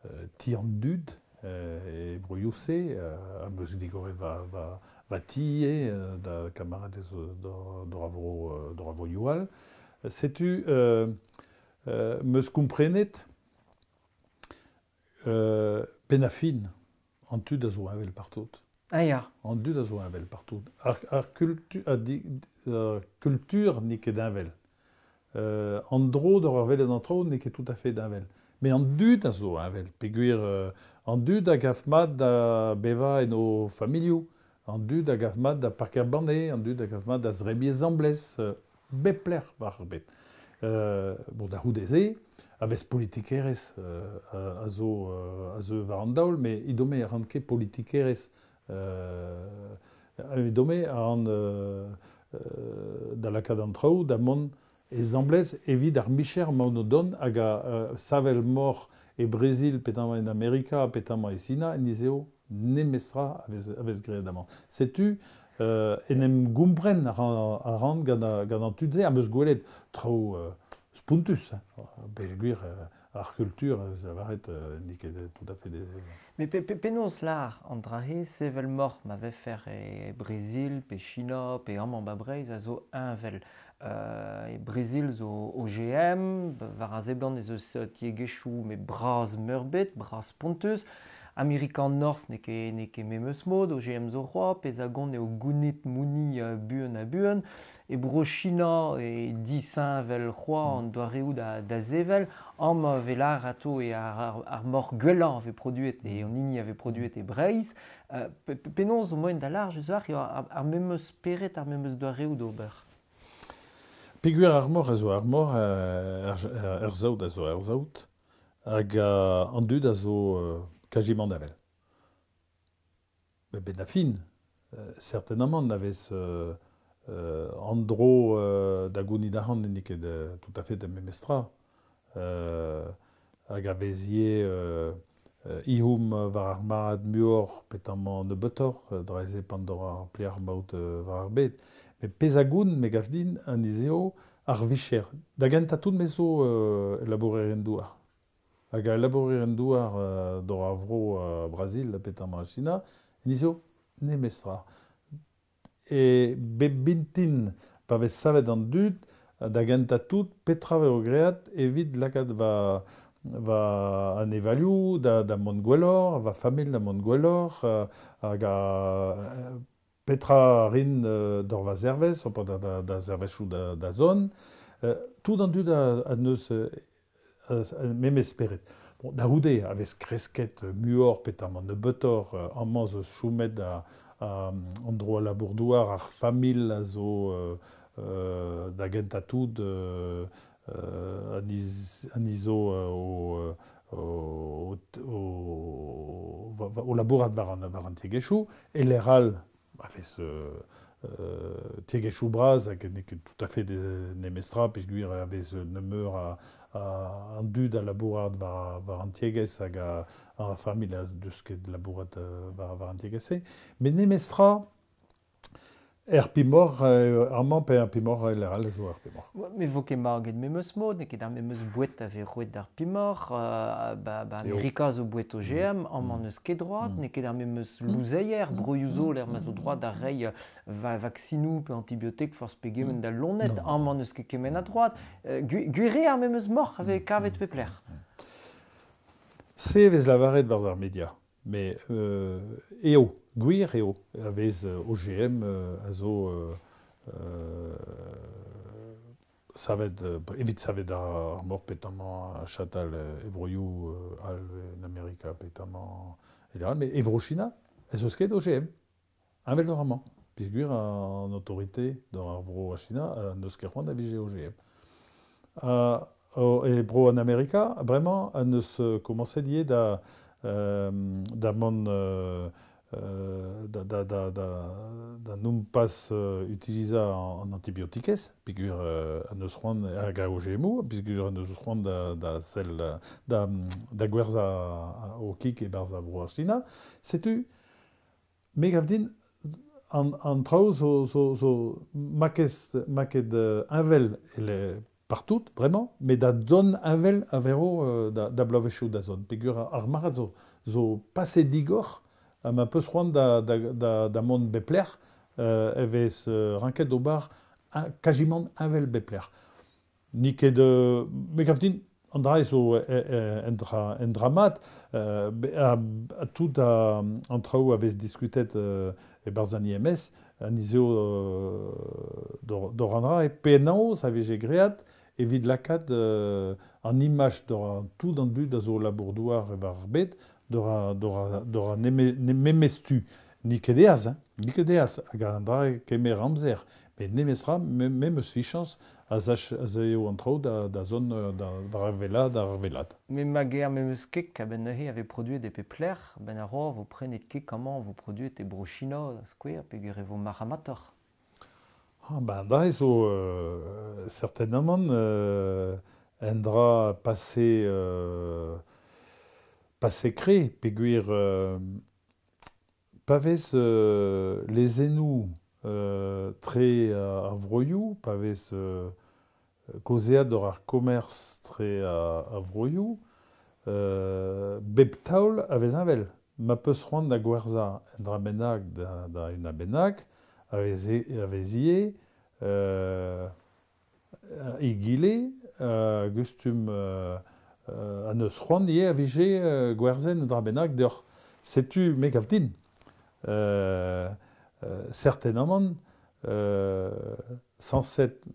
euh, ti an dud, euh, e broioù-se, euh, a meus digoret va, va, va ti ivez, euh, da kamaradez d'or a vro, d'or a vroioù all. Setu euh, euh, meus komprenet euh, penn a fin an tud a zo heñvel partout. Ah ya. An dud a zo heñvel partout. Ar, ar kultu, a di, ar kultur n'eo ket heñvel. Euh, an dro d'ur ar welet an traoù n'eo ket tout à fait heñvel. Mais an dud a zo heñvel, peogwir euh, an dud a gav mat da bevañ en o familhoù, an dud a gav mat da parker banne, an dud a gav mat da zrebiñ zamblez, euh, bep lec'h war ar bed. Euh, bon, da c'houde-se, a vez politikerezh euh, a zo, euh, a zo war an daol, met idome a ran ket politikerezh Euh, idome a ran euh, euh, da lakaat an traoù da mont e zamblez evit ar micher ma ono don hag a euh, savel mor e Brazil, petamant en Amerika, petamant e Sina, en izeo nemestra a vez, a vez graet amañ. Setu euh, en em gompren a ran, a ran gant, a, gant an tud-se, am eus gwelet traoù euh, spontus, hein. Peogwir euh, ar kultur, ez lavaret, euh, n'eo ket tout à fait des... Mais pe, pe, penaos lar an dra-se sevel mor ma vefer e Brazil, pe China, pe amañ ba Breizh a zo heñvel. Euh, e Brazil zo O G M, war a seblant ez eus tiegezhioù met bras meurbet, bras spontus. Amerikan Norz n'eo ket, n'eo ket memes mod, O G M zo c'hoa, pezh a gont eo gounit mouni uh, buan ha buan, e bro China e disheñvel c'hoa an doareoù da, da sevel, am velar ato e ar, ar, ar mor gwellañ a vez produet e an hini a vez produet e Breizh. Uh, penaos zo moen da large eus ar, ar, ar memes spered, ar memes doareoù d'ober. Peogwir ar mor a zo ar mor, ar, ar saout a zo ar saout, hag uh, an dud a zo uh, quasiment avel. Mais ben a fin, euh, certainement n'avez euh, euh, an dro euh, da gounid arc'hant n'eo ket euh, tout à fait da memestra. Euh, hag a vezie euh, euh, ihoum war ar marad muor petamant nebeutoc'h, draeze pandor ar plear maout euh, war ar bed. Mais pezh a goun, me gav din, an izeo ar vicher. Da gentañ tout me zo euh, labourerien douar. Hag a labourerien douar euh, dor ar vro euh, Brazil, petamant China, en izeo nemestra. E bep bintin, pa vez savet an dud, da gentañ tout, petra vez o great evit lakaat va, va an evalioù da, da mont gwelloc'h, va familh da mont gwelloc'h, euh, hag a petra rin euh, d'or va zervez, op da, da, da zervezioù da, da zon. Euh, tout an dud a, a neus euh, memes spered. Bon, da c'houde, a vez kresket muor petamant nebeutoc'h, amañ zo choumet a, a, an dro a labour-douar, ar familh a zo euh, euh, da gentañ tout euh, euh, an iz, an izo euh, o, o, o, o, o labourat war an, war an tiegezhioù, e lec'h a vez euh, euh, tiegezhioù bras hag n'eo ket tout à fait de nemestra, peogwir a vez nemeur a, a, an dud a labourat war, war an tiegezh hag a, a familh a deus ket labourat war, war an tiegezh-se. Met nemestra, er pimor, euh, amañ pe ar pimor, e lec'h all zo ar pimor. Mais vo ket marget memes mod, n'eo ket ar memes boued a vez roet d'ar pimor, euh, ba, ba Amerika zo boued O G M, amañ n'eus ket droit, n'eo ket ar memes louzeier, broioù zo l'er ma zo droit da reiñ va, vaksinoù pe antibiotik forzh pegement da lonet, amañ n'eus ket kement a droit. Euh, gwir eo ar memes moc'h a vez kavet pep lec'h. Se vez lavaret barzh ar media. Mais euh, eo, gwir eo, a vez O G M euh, a zo euh, euh, savet, euh, evit savet ar, ar mor petamant a chatal e broioù euh, al en Amerika petamant e lec'h all, mais e vro China, ez eus ket O G M, heñvel d'or amañ, peogwir an autorité d'or ar vro a China a n'eus ket c'hoant da vije O G M. Uh, o, e bro an Amerika, bremañ, a neus komañset ivez da Euh, da mont euh, da, da, da, da, da non pas euh, utiliza an, an antibiotikez, peogwir euh, an eus c'hoant hag a O G M O, peogwir an eus c'hoant da, da sell da, da gwerzhañ o kig e-barzh a vro ar China. Setu, me gav din, an, an traoù zo, zo, zo makez, maket heñvel ele partout, vraiment, mais da zon heñvel a vero euh, da, da bloavezhioù da zon. Peogwir ar marc'had zo, zo pase digor, ha ma peus c'hoant da, da, da, da mont bep lec'h, euh, e vez euh, ranket d'ober quasiment heñvel bep lec'h. Ni ket, euh, me gav din, an dra zo en dra, en dra mat, euh, a, a tout a, an traoù a vez diskutet euh, e-barzh an I M S, an izeo euh, d'or, d'or an dra, e penaos a vije great evit lakaat euh, an imaj d'or an tout an dud a zo labour-douar e war ar bed, d'or a, d'or a, d'or a neme, memestu. Ni ket eaz, hein, ni ket eaz, hag an dra kemer amzer. Met nemestra, me, memes fichañs a zach, a zeo an traoù da, da zon, da, war ar velad, ar velad. Mais ma ger memes kek a ben neuze avait produit des pepler, ben ar vo prenet kek amañ vo produet e bro China, da skouer, peogwir e vo marc'hamator. Ah ben da zo euh, certainement euh, un dra passé euh, passé cré peogwir euh, pa vez euh, les enou euh, tre euh, ar vroioù, pa vez euh, kaozeat d'or ar commerce tre ar vroioù, euh, bep taol a vez heñvel. Ma peus c'hoant da gwerzhañ un dra bennak da, da un bennak, a vez, a vez ivez, euh, egile, euh, gustum euh, euh, an eus c'hoant ivez a vije euh, gwerzhañ un dra bennak deoc'h. Setu me gav din. Euh, euh, certainement, euh, cent sept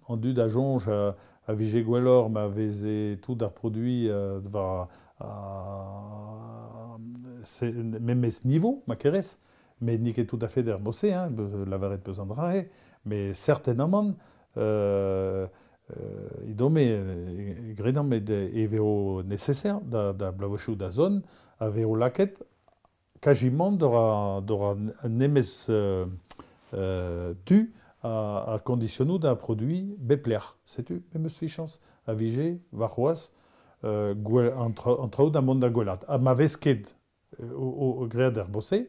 an dud a soñj a, a vije gwelloc'h ma veze tout ar produit euh, war a, se, memes niveau, ma kerez, mais n'eo ket tout à fait d'er bosse, hein, lavaret peus an drae, mais certainement, euh, euh, idome, gredan met e veo nécessaire da, da blavochou da zone, a veo laket quasiment d'ora, d'ora nemez euh, euh, tu a, a conditionnou da produit bepler. Setu, memes fichans, a vije, war c'hoaz, euh, gwell, an, tra, an traoù da mont da gwelat. Ha ma vez ket euh, o, o graet er bosse,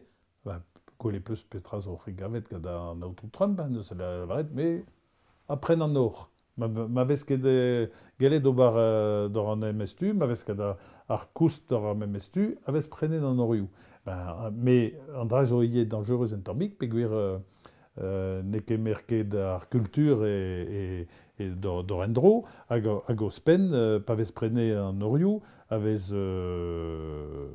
ba, gwell e peus petra zo gavet gant an aotrou Trump, hein, neus lavaret, mais apren an or. Ma, ma vez ket euh, gellet ober euh, d'or an M S tu, ma vez ket ar, ar koust d'or an M S tu, a vez prenet an orioù. Ben, mais an dra zo ivez dangereux en tammig, peogwir euh, euh, n'eo ket merket ar kultur e, e, e d'or, d'or endro, hag, hag ouzhpenn, euh, pa vez prenet an orioù, a vez euh,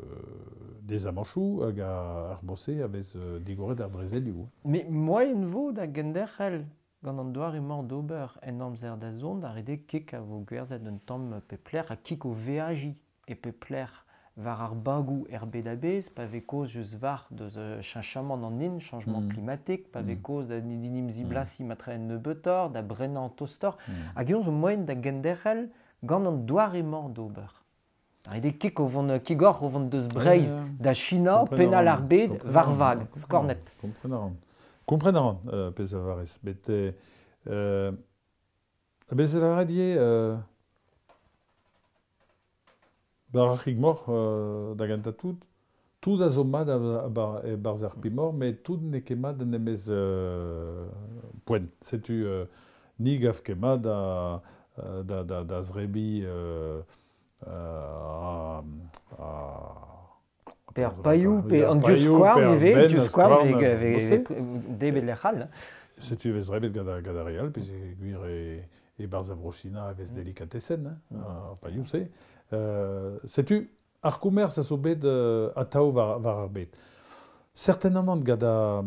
des amanchoù hag ar bosse a vez euh, digoret ar brezelioù. Mais moaien vo da genderc'hel gant an doare-mañ d'ober en amzer da zont, ar ede kik a vo gwerzhet un tamm pepler ha kik o veaji e pepler war ar bagou er bed a-bezh, pa vez kaoz eus war deus euh, cheñchamant an hin, changement Mm. climatique, pa vez Mm. kaoz da dinim ziblasi matre en nebeutoc'h, da brenañ tostoc'h, Mm. hag eñ zo moaien da genderc'hel gant an doare-mañ d'ober. Ar ede kik o vont kigor o vont deus Breizh da China, penal ar bed, war vag, skornet. Kompren a ran. Kompren a ran, euh, pezh a varez. Bet euh, bez a lavaret ivez euh, bar ar c'hig-moc'h euh, da gentañ tout, tout a zo mat a, a, bar, e barzh ar pemoc'h, met tout n'eo ket mat en emez euh, poent. Setu euh, ni gav ket mat da, da, da, da zrebi euh, euh, a, a, Pe ar pailhoù, pe an divskouarn ivez, divskouarn vez debet lec'h all. Setu vez drebet gant ar, gant ar re all, pezh e gwir e, e barzh a Vro-China a vez Mm. delikatesenn, hein, ar pailhoù-se. Euh, setu ar komerz a zo bet euh, atav war, war ar bed. Certainement gant ar,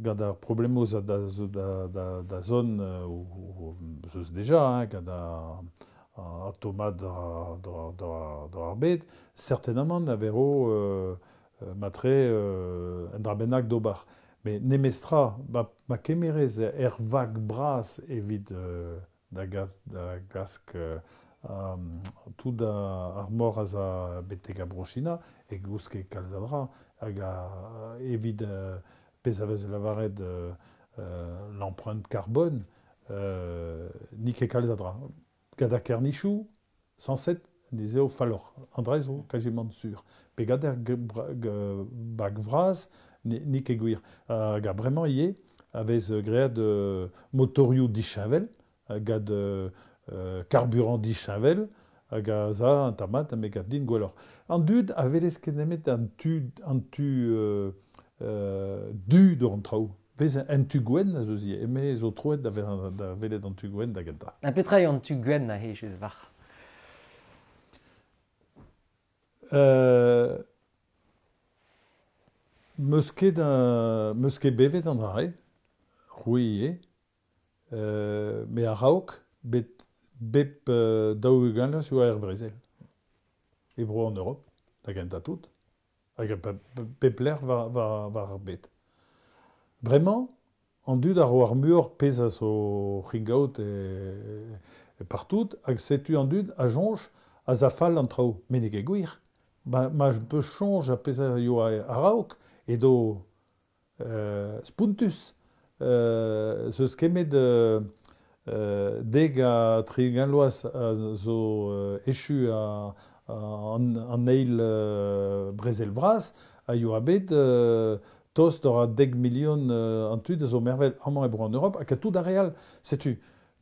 gant ar problemoù da, da, da, da, da zone euh, ou, ou, zeus deja, hein, gant ar, ar tomad da, da, da, da ar bed, certainement a vero euh, euh, matre euh, un dra bennak d'ober. Mais nemestra, ma, ma kemerez er vag bras evit euh, da, ga, da glask euh, um, tout a, ar mor az a betek a Bro-China, e gouske kalz a dra, hag a, evit euh, pezh a vez lavaret euh, euh, l'empreinte carbone, euh, ni ket kalz a dra. Gant ar kernichou, cent sept, dizeo falloc'h. An dra zo quasiment sur. Pe gant ar bag vras, ni, ni ket gwir. Hag a bremañ ivez, a vez graet euh, motorioù disheñvel, gant euh, euh, carburant disheñvel, hag a za an tamat me gav din gwelloc'h. An dud a welez ket nemet an tu, an tu euh, euh, du d'or an traoù. Vez an tu gwenn a zo zi, eme zo troet da, da welet an tu gwenn da gentañ. Ha petra eo an tu gwenn a he just war. Euh, meus ket, uh, meus ket bevet an dra-se, c'hwi ivez, euh, me a-raok, bet bep euh, daou-ugent vloaz oa er brezel. E bro an Europe, da gentañ tout, hag a pep lec'h war, war, war ar bed. Bremañ, an dud a ro ar muioc'h pezh a zo c'hingaout e, e partout, hag setu an dud a soñj a za fall an traoù. Met n'eo ket gwir. Ma, ma peus soñj a pezh a yoa a-raok, edo euh, spontus. Euh, zeus kemet euh, euh, deg ha tri-ugent vloaz a zo euh, echu a, a, an, an eil euh, brezel vras, a yoa bet euh, tost ur a deg milion euh, an tud a zo mervel amañ e bro an Europe, hag a tout ar re all. Setu,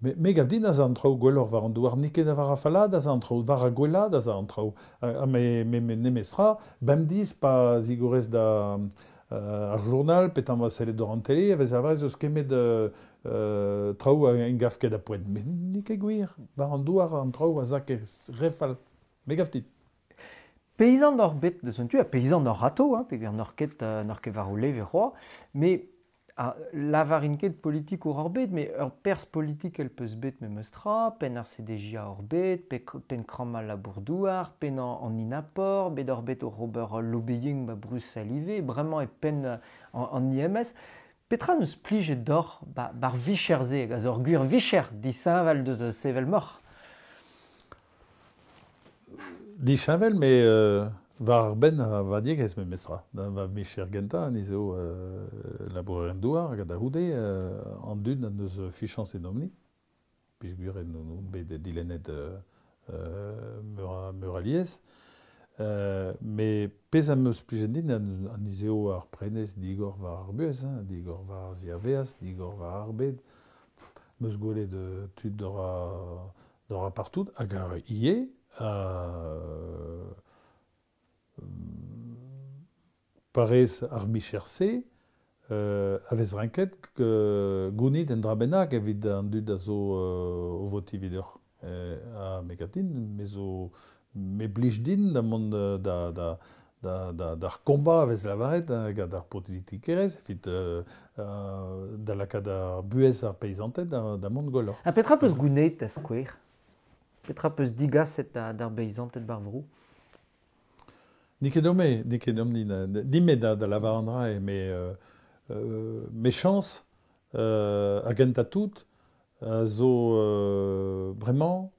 me, me gav din a za an traoù gwelloc'h war an douar, n'eo ket war a fallad a za an traoù, war a gwellad a za an traoù. Ha me, me, me nemestra, bemdez pa zigorez da euh, ar journal, petan va sellet d'or an tele, a vez a vez eus kemet euh, euh, traoù a en gav ket a poent. Met n'eo ket gwir, war an douar an traoù a za ket re fall. Me gav dit. Paysan ur bet deus un tu, ha paysan ur rato, hein, peogwir n'oc'h ket, euh, n'oc'h ket war o leve c'hoazh, mais a lavarin ket politikour ur bet, mais ur perzh politikel peus bet memes tra, penn ar C D J A ur bet, pe, penn kramma labour-douar, penn an, an INAPOR, bet ur bet o ober lobbying ba Bruxelles ivez, bremañ e penn an, an I M S. Petra neus plijet d'or ba, bar vicher-se, hag a zo ur gwir vicher disheñvel deus sevel moc'h? Disheñvel, mais euh, war ar benn a va diegez memes tra. Da va vicher gentañ, ni zo euh, labourer en douar hag da c'houde euh, an dud an deus fichañs edomp-ni. Peogwir en on bet dilennet euh, euh, meur a, meur a liez. Euh, mais pezh am eus plijet din an, an izeo ar prenez digor war ar buhez, hein, digor war ar ziaveaz, digor war ar bed. Pff, meus gwelet euh, tud d'or a, d'or a partout, hag ar ie, euh, parez ar micher-se, euh, a vez renket euh, gounit en dra bennak evit an dud a zo euh, o voti videur. Euh, a me gav din, me zo, me blij din da mont da, da, da, da, da, d'ar combat a vez lavaret, hein, gant ar politikerez, evit euh, euh, da lakaat ar buhez ar peizanted da, da mont gwelloc'h. Ha petra peus gounit da skouer? Petra peus digaset da, d'ar beizanted bar vro? N'eo ket ome, n'eo ket omp ni, ni me da, da lavar an dra, me, euh, euh, me chañs, euh, a gentañ tout, a zo euh, bremañ,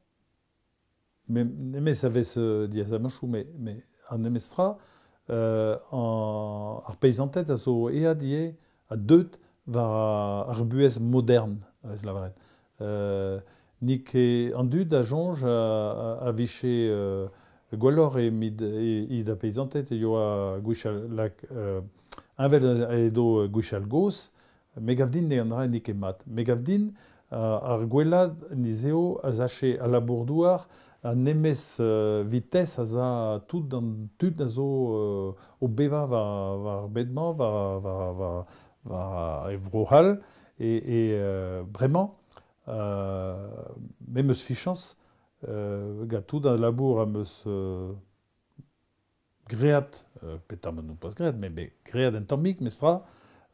me, nemez a vez euh, diazamanchoù, me, me an nemez tra, euh, an, ar peizanted a zo eat ivez a deut war ar buhez modern, a vez lavaret. Euh, n'eo ket an dud a soñj a, a, a vije euh, gwelloc'h e mid, e, e da peizanted e yoa gwechall lak, euh, heñvel edo gwechall gozh, me gav din ne an dra n'eo ket mat. Me gav din uh, ar gwellad nizeo a zache a labour-douar a nemez euh, vitesse a za tout an tud a zo euh, o beva war, war bed-mañ, war, war, war, war e vro-c'hall, e, e euh, bremañ, euh, me meus fichañs, euh, gant tout an labour am eus euh, great, euh, petra ma n'on pas great, mais, mais great en tammik, mes tra,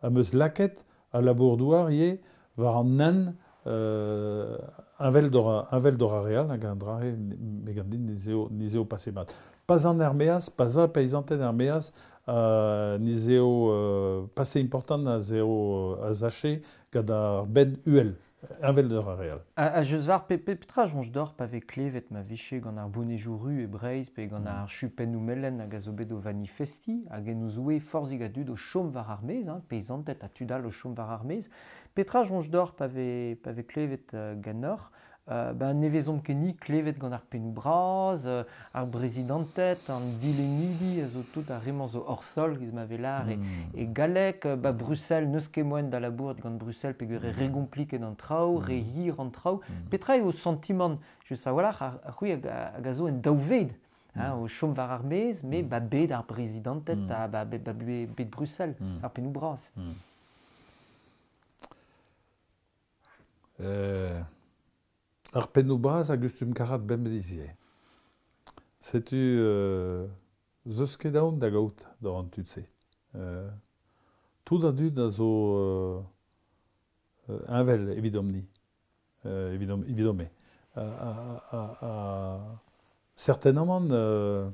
am eus laket a labour-douar ivez war an nen, euh, heñvel d'or a, heñvel d'or a real, hag an dra eo, me gav din nizeo, nizeo pase mat. Pas an ermeaz, pas a peizanted ermeaz, euh, nizeo euh, pase important a zeo a zache gant ar benn uhel. Heñvel d'or a real. A, a jeus war, pe, pe, petra soñj d'or pa vez klevet ma viche gant ar bonejoù ru e Breizh, pe gant ar chupennoù melen hag a zo bet o vanifesti, hag en o zoue forzhig a dud o chom war ar maez, hein, peizanted ha tud all o chom war ar maez. Petra soñj d'or pa vez, pa vez klevet, euh, ganeoc'h, euh, ben, ne vezomp ket ni klevet gant ar pennoù bras, euh, ar brezidanted, an dilennidi a zo tout ar remañ zo hors sol, giz ma vez lar, e, Hmm. e galleg, euh, ba Bruxelles, n'eus ket moaien da labourat gant Bruxelles peogwir e re gompliket an traoù, re Hmm. hir an traoù. Hmm. Petra eo sentiment, just a-walc'h, ar, ar c'hwi hag a, hag a zo en daou ved, hein, Hmm. o chom war ar maez, me Hmm. ba bet ar brezidanted Hmm. ha ba, ba, ba, bet Bruxelles, Hmm. ar pennoù bras. Hmm. Euh, ar pennoù bras a gustum karat bemdez ivez. Setu, euh, zeus ket aon da gaout d'ar an tud-se. Euh, tout a dud a zo, euh, euh, heñvel evidomp-ni, euh, evidom, evidom-me. A, a, a, a, certainement, euh,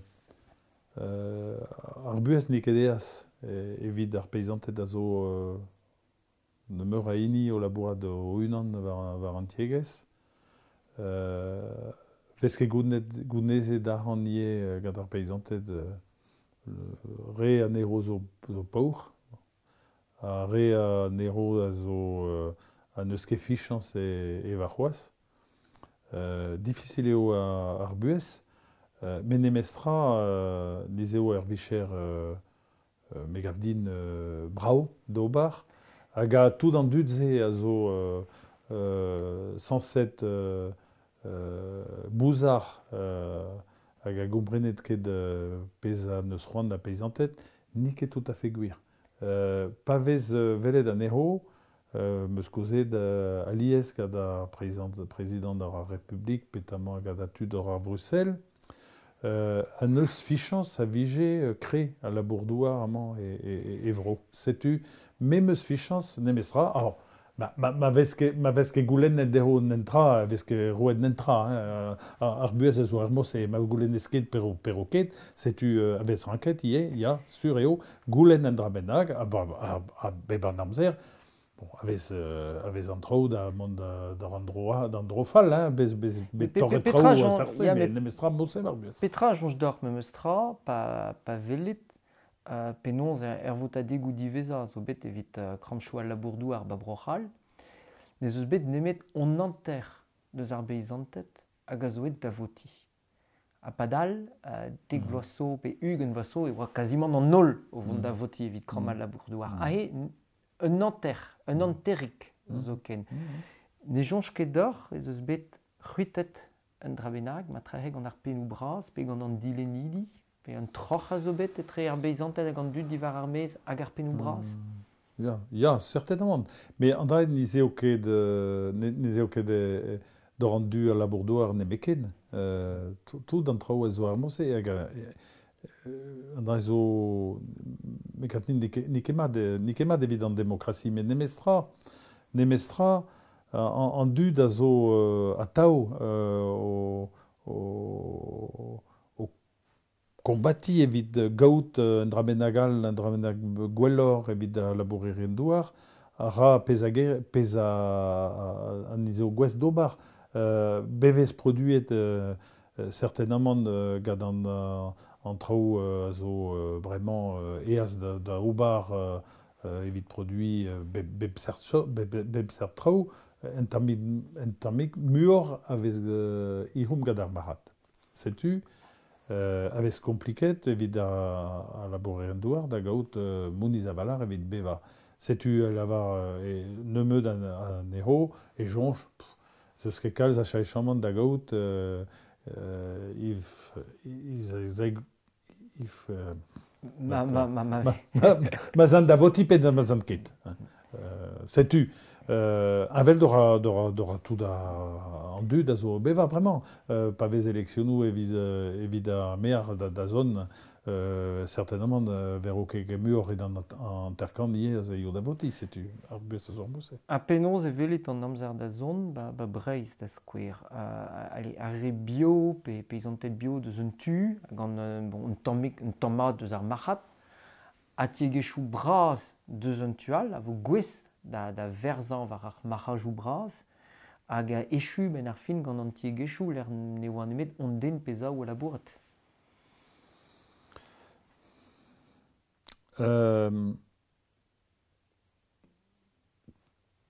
euh, ar buhez n'eo ket eas, e, evit ar peizanted a zo, euh, nemeur a hini o labourat o unan war, war an tiegezh. Euh, vez ket gounez, gounezet arc'hant ivez, euh, gant ar peizanted, euh, re anezho zo, zo paour, ha re anezho a zo, euh, a n'eus ket fichañs e, e warc'hoazh. Euh, difficile eo ar, ar buhez, euh, met nemez tra, euh, niz eo ar vicher, euh, euh, me gav din, euh, brav d'ober, hag a tout an dud-se a zo, euh, euh, sañset, euh, euh, bouzar, euh, hag a gomprenet ket, euh, pezh a neus c'hoant da peizanted, n'eo ket tout à fait gwir. Euh, pa vez, euh, welet anezho, euh, meus kozet, euh, alies gant ar prezident, prezident ar Republik, petamant gant ar tud ar Bruxelles, euh, an eus fichans a vije kre a labour-douar amañ e, e, e vro. Setu, me meus fichans nemestra, alors, ma, ma, ma vez ket, ma vez ket goulennet dezho nentra, vez ket roet nentra, hein, ar buhez a zo ar mos e ma goulennez ket pero, pero ket, setu euh, a vez ranket ivez, ya, sur eo, goulenn an dra bennak, a, a, a bep an amzer, bon, a vez, euh, a vez an traoù da mont da, da an dro, d'an dro fall, hein, bez, bez, bet torret traoù a sarse, mais nemestra mosem ar buhez. Petra soñj deoc'h memestra, pa, pa velit, Uh, penaos er votadegoù diwezhañ zo bet evit uh, kramchoù al labour-douar ba Bro-C'hall, ne eus bet nemet on hanter deus ar beizanted hag a zo aet da voti. Ha padal, uh, dek mm. vloaz zo pe ugent vloaz zo e oa kazimant an holl o vont mm. da voti evit kramm al labour-douar. Mm. Ahe, un hanter, un hanterig mm. zoken. Mm. Ne soñj ket deoc'h ez eus bet c'hwitet un dra bennak, ma trahe gant ar pennoù bras pe gant an dilennidi, pe un troc'h a zo bet etre ar beizanted hag an dud diwar ar maez hag ar pennoù bras. Mm, ya, ya, certainement. Mais an dra ne zeo ket, ne, ne zeo ket d'or an du a labour-douar nemeken. Euh, tout an traoù a zo ar mose hag an dra zo me kat n'eo ket mat, n'eo ket mat evit an demokrasi, met nemestra, nemestra an, an dud a zo uh, atav uh, o, o kombati evit gaout un dra bennak all, un dra bennak gwelloc'h evit a labourerien douar, a ra pezh a ger, pezh a, an izeo gwez d'ober, euh, bevez produet euh, certainement euh, gant an, an traoù euh, a zo euh, bremañ euh, eaz da, da ober euh, evit produit euh, bep, bep seurt cho, bep, bep seurt traoù, en tammig, en tammig muioc'h a vez euh, ihom gant ar marc'had. Setu, Euh, a vez kompliket evit a, a labourerien douar da gaout euh, moniz a-valar evit beva. Setu lavar e nemeud an, an ero e soñj, zeus ket kalz a chaechamant da gaout euh, euh, if, if, if, euh, ma, ma, ma, ma, ma, ma, ma zan da voti pe da ma zan ket. Euh, setu, Euh, avel d'ora, d'ora, d'ora tout a, an dud a zo beva bremañ. Euh, pa vez eleksionoù evit, evit ar maer da, da zon, euh, certainement euh, ver o ket muioc'h edan an terkan ivez a zo da voti, setu ar buhez a zo ar mose. Ha penaos e velit an amzer da zon ba, ba Breizh da skouer. Uh, allez, ar re bio, pe peizanted bio deus un tu, gant euh, bon, un tammig, un tamm mat deus ar marc'had, ha tiegezhioù bras deus un tu all, a vo gouest da, da verzañ war ar marc'hajoù bras, hag a echu ben ar fin gant an tiegezhioù lec'h ne oa nemet on den pezh a labourat. Euh,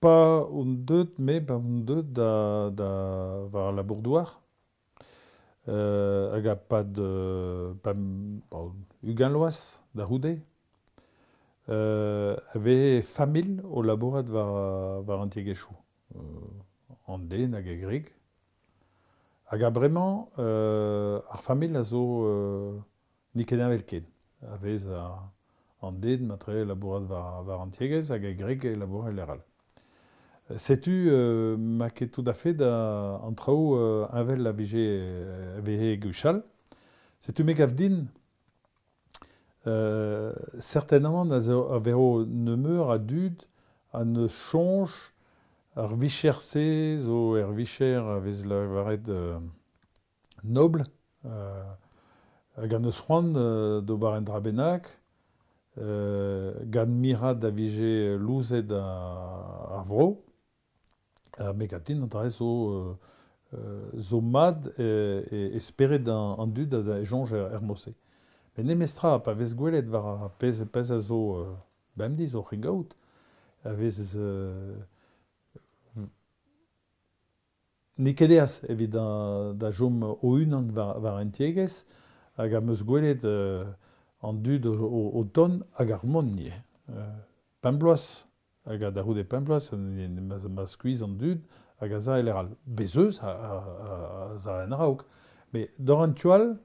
pa on deut, me pa on deut da, da war ar labour-douar, euh, hag a pad, pa, bon, ugent loaz da c'houde, Euh, avait familh o labourat war, war an tiegezhioù. Euh, an den hag e greg. Hag a bremañ, euh, ar familh a zo euh, n'eo ket heñvel ken. A vez a, an den matre labourat war, war an tiegezh hag e greg e labourat lec'h all. Setu euh, ma ket tout à fait da an traoù euh, heñvel a vije a veze gwechall. Setu me gav din Euh, certainement a zo a vero nemeur a dud a ne soñj ar vicher-se zo er vicher a vez lavaret euh, nobl, euh, hag an eus c'hoant euh, d'ober un dra bennak, euh, gant mirad a vije louzet ar vro, ha me gatin an dra zo, euh, zo mad e, e, e spered an, an dud a, a soñj er, er mose. Met nemestra, pa vez gwelet war ar pezh, pezh a zo euh, bemdez oc'h gaout, a vez euh, n'eo ket eas evit da, da chom o-unan war, war an tiegezh, hag am eus gwelet euh, an dud o, o, o ton hag ar mont ivez. Euh, pemp bloaz, hag a da c'houde pemp bloaz, ma, ma skuizh an dud hag a za eler all. Bez eus a, a, a, a za en araok. Mais d'or an tu all,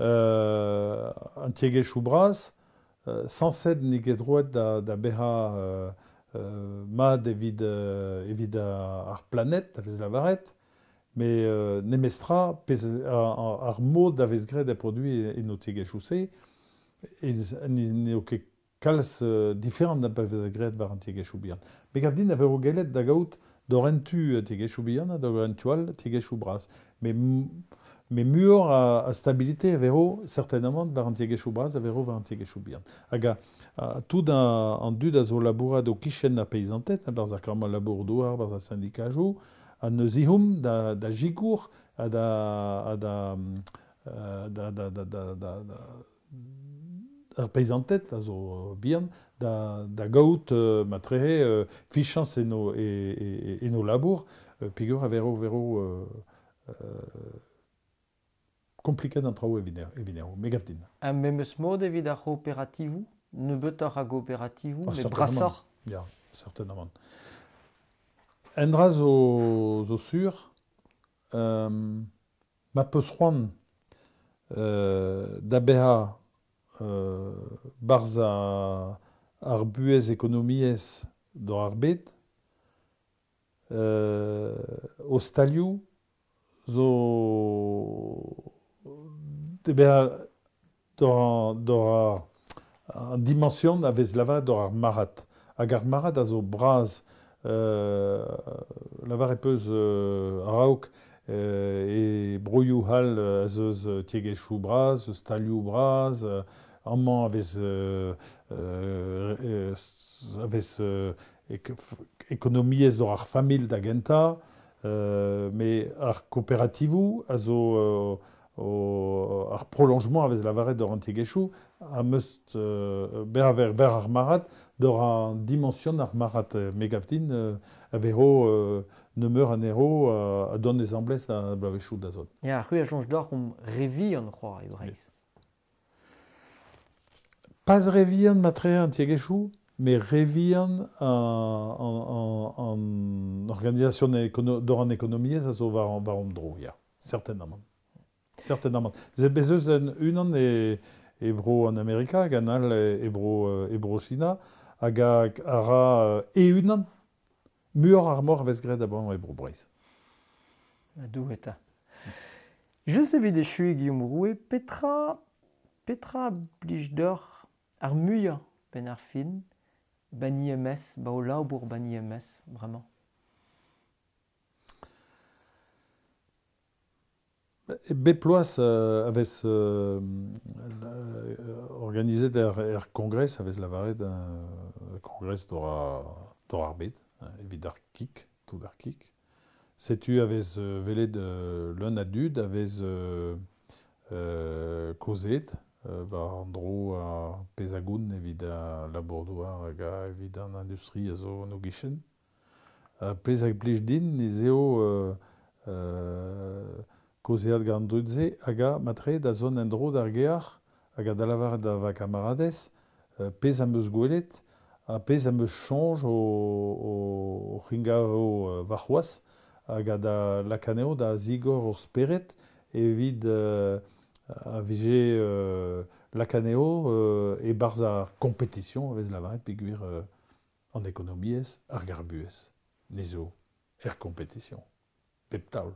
Euh, an tiegezhioù bras, euh, sañset n'eo ket droet da, da bezañ euh, euh, mat evit, euh, evit ar, ar planet, a vez lavaret, Mais euh, nemestra, pez ar, ar mod a vez graet a produit en o tiegezhioù-se, n'eo ket kalz euh, diferant da pa vez graet war an tiegezhioù bihan. Me gav din a vero gellet da gaout d'or en tu tiegezhioù bihan ha d'or en tu all tiegezhioù bras. Mais, mais muioc'h a, a stabilité a vero certainement war an tiegezhioù bras a vero war an tiegezhioù bihan. Hag a, a tout an, an dud a zo labourat o kichen ar peisanted, barz ar kammal labour douar, barz ar syndikajoù, a neus ihom da, da jikour ha da, ha da, da, da, da, da, da, da ar peisanted a zo bihan da, da gaout euh, matrehe euh, fichans eno, e, e, eno labour, euh, peogwir a vero vero euh, euh, kompliket an traoù evit evit me gav din. Un memes mod evit ar c'hooperativoù, nebeutoc'h a gooperativoù, ah, mais brasoc'h. Ya, certainement. Un dra zo, zo sur, euh, ma peus c'hoant euh, da bezañ euh, barzh a, ar buhez ekonomiezh d'or ar bed, euh, o stalioù zo de bezañ d'or, d'or ar, an dimension a vez lavaret d'or ar marad. Hag ar marad a zo bras Euh, lavar e peus euh, araok euh, e broioù hall a zeus tiegezhioù bras, stalioù bras, euh, amañ a vez, euh, euh, a vez euh, ekonomiezh d'or ar familh da gentañ, euh, mais ar kooperativoù a zo euh, o, ar prolongement a vez lavaret d'or an tiegezhioù a meust euh, ber ver, ber ar marad d'or an dimension ar marad me gav din euh, a vero euh, nemeur an ero euh, a don ez amblez a bloavezhioù da zont. Ya, c'hwi a soñj deoc'h omp re vihan c'hoazh e Breizh. Pas re vihan matre an tiegezhioù, mais re vihan an, an, an organisation ekono, d'or an ekonomiezh a zo war, war an dro, ya, certainement. Certainement. Ze bez eus un unan e, e bro an Amerika, hag an all e bro, e bro China, hag a, a ra e unan muioc'h ar mor a vez graet a-bañ e bro Breizh. A dou eta. Just evit echuiñ Guillaume Roue, petra, petra blij deoc'h ar muiañ benn ar fin, ban I M S, ba o labour ban I M S, bremañ? Bep ploaz euh, a vez euh, organizet er, er kongres, a vez lavaret un kongres d'or d'or ar bed, evit ar kik, tout ar kik. Setu a vez euh, velet euh, l'un a dud, a vez euh, euh, kozet, euh, war an dro a pezagoun evit a labour-douar hag a evit an industrie a zo an o gichen. Uh, pezh a blij din ez eo euh, euh, kozeat gant dud-se hag a matre da zon en dro d'ar gear hag a da lavaret da va kamaradez euh, pezh am eus gwelet ha pezh am eus soñj o, o, o c'hingavo euh, warc'hoazh hag a da lakaneo da zigor ur spered evit euh, a vije euh, lakaneo euh, e barzh ar compétition a vez lavaret peogwir euh, an ekonomiezh ar garbuez nezo er compétition pep taol.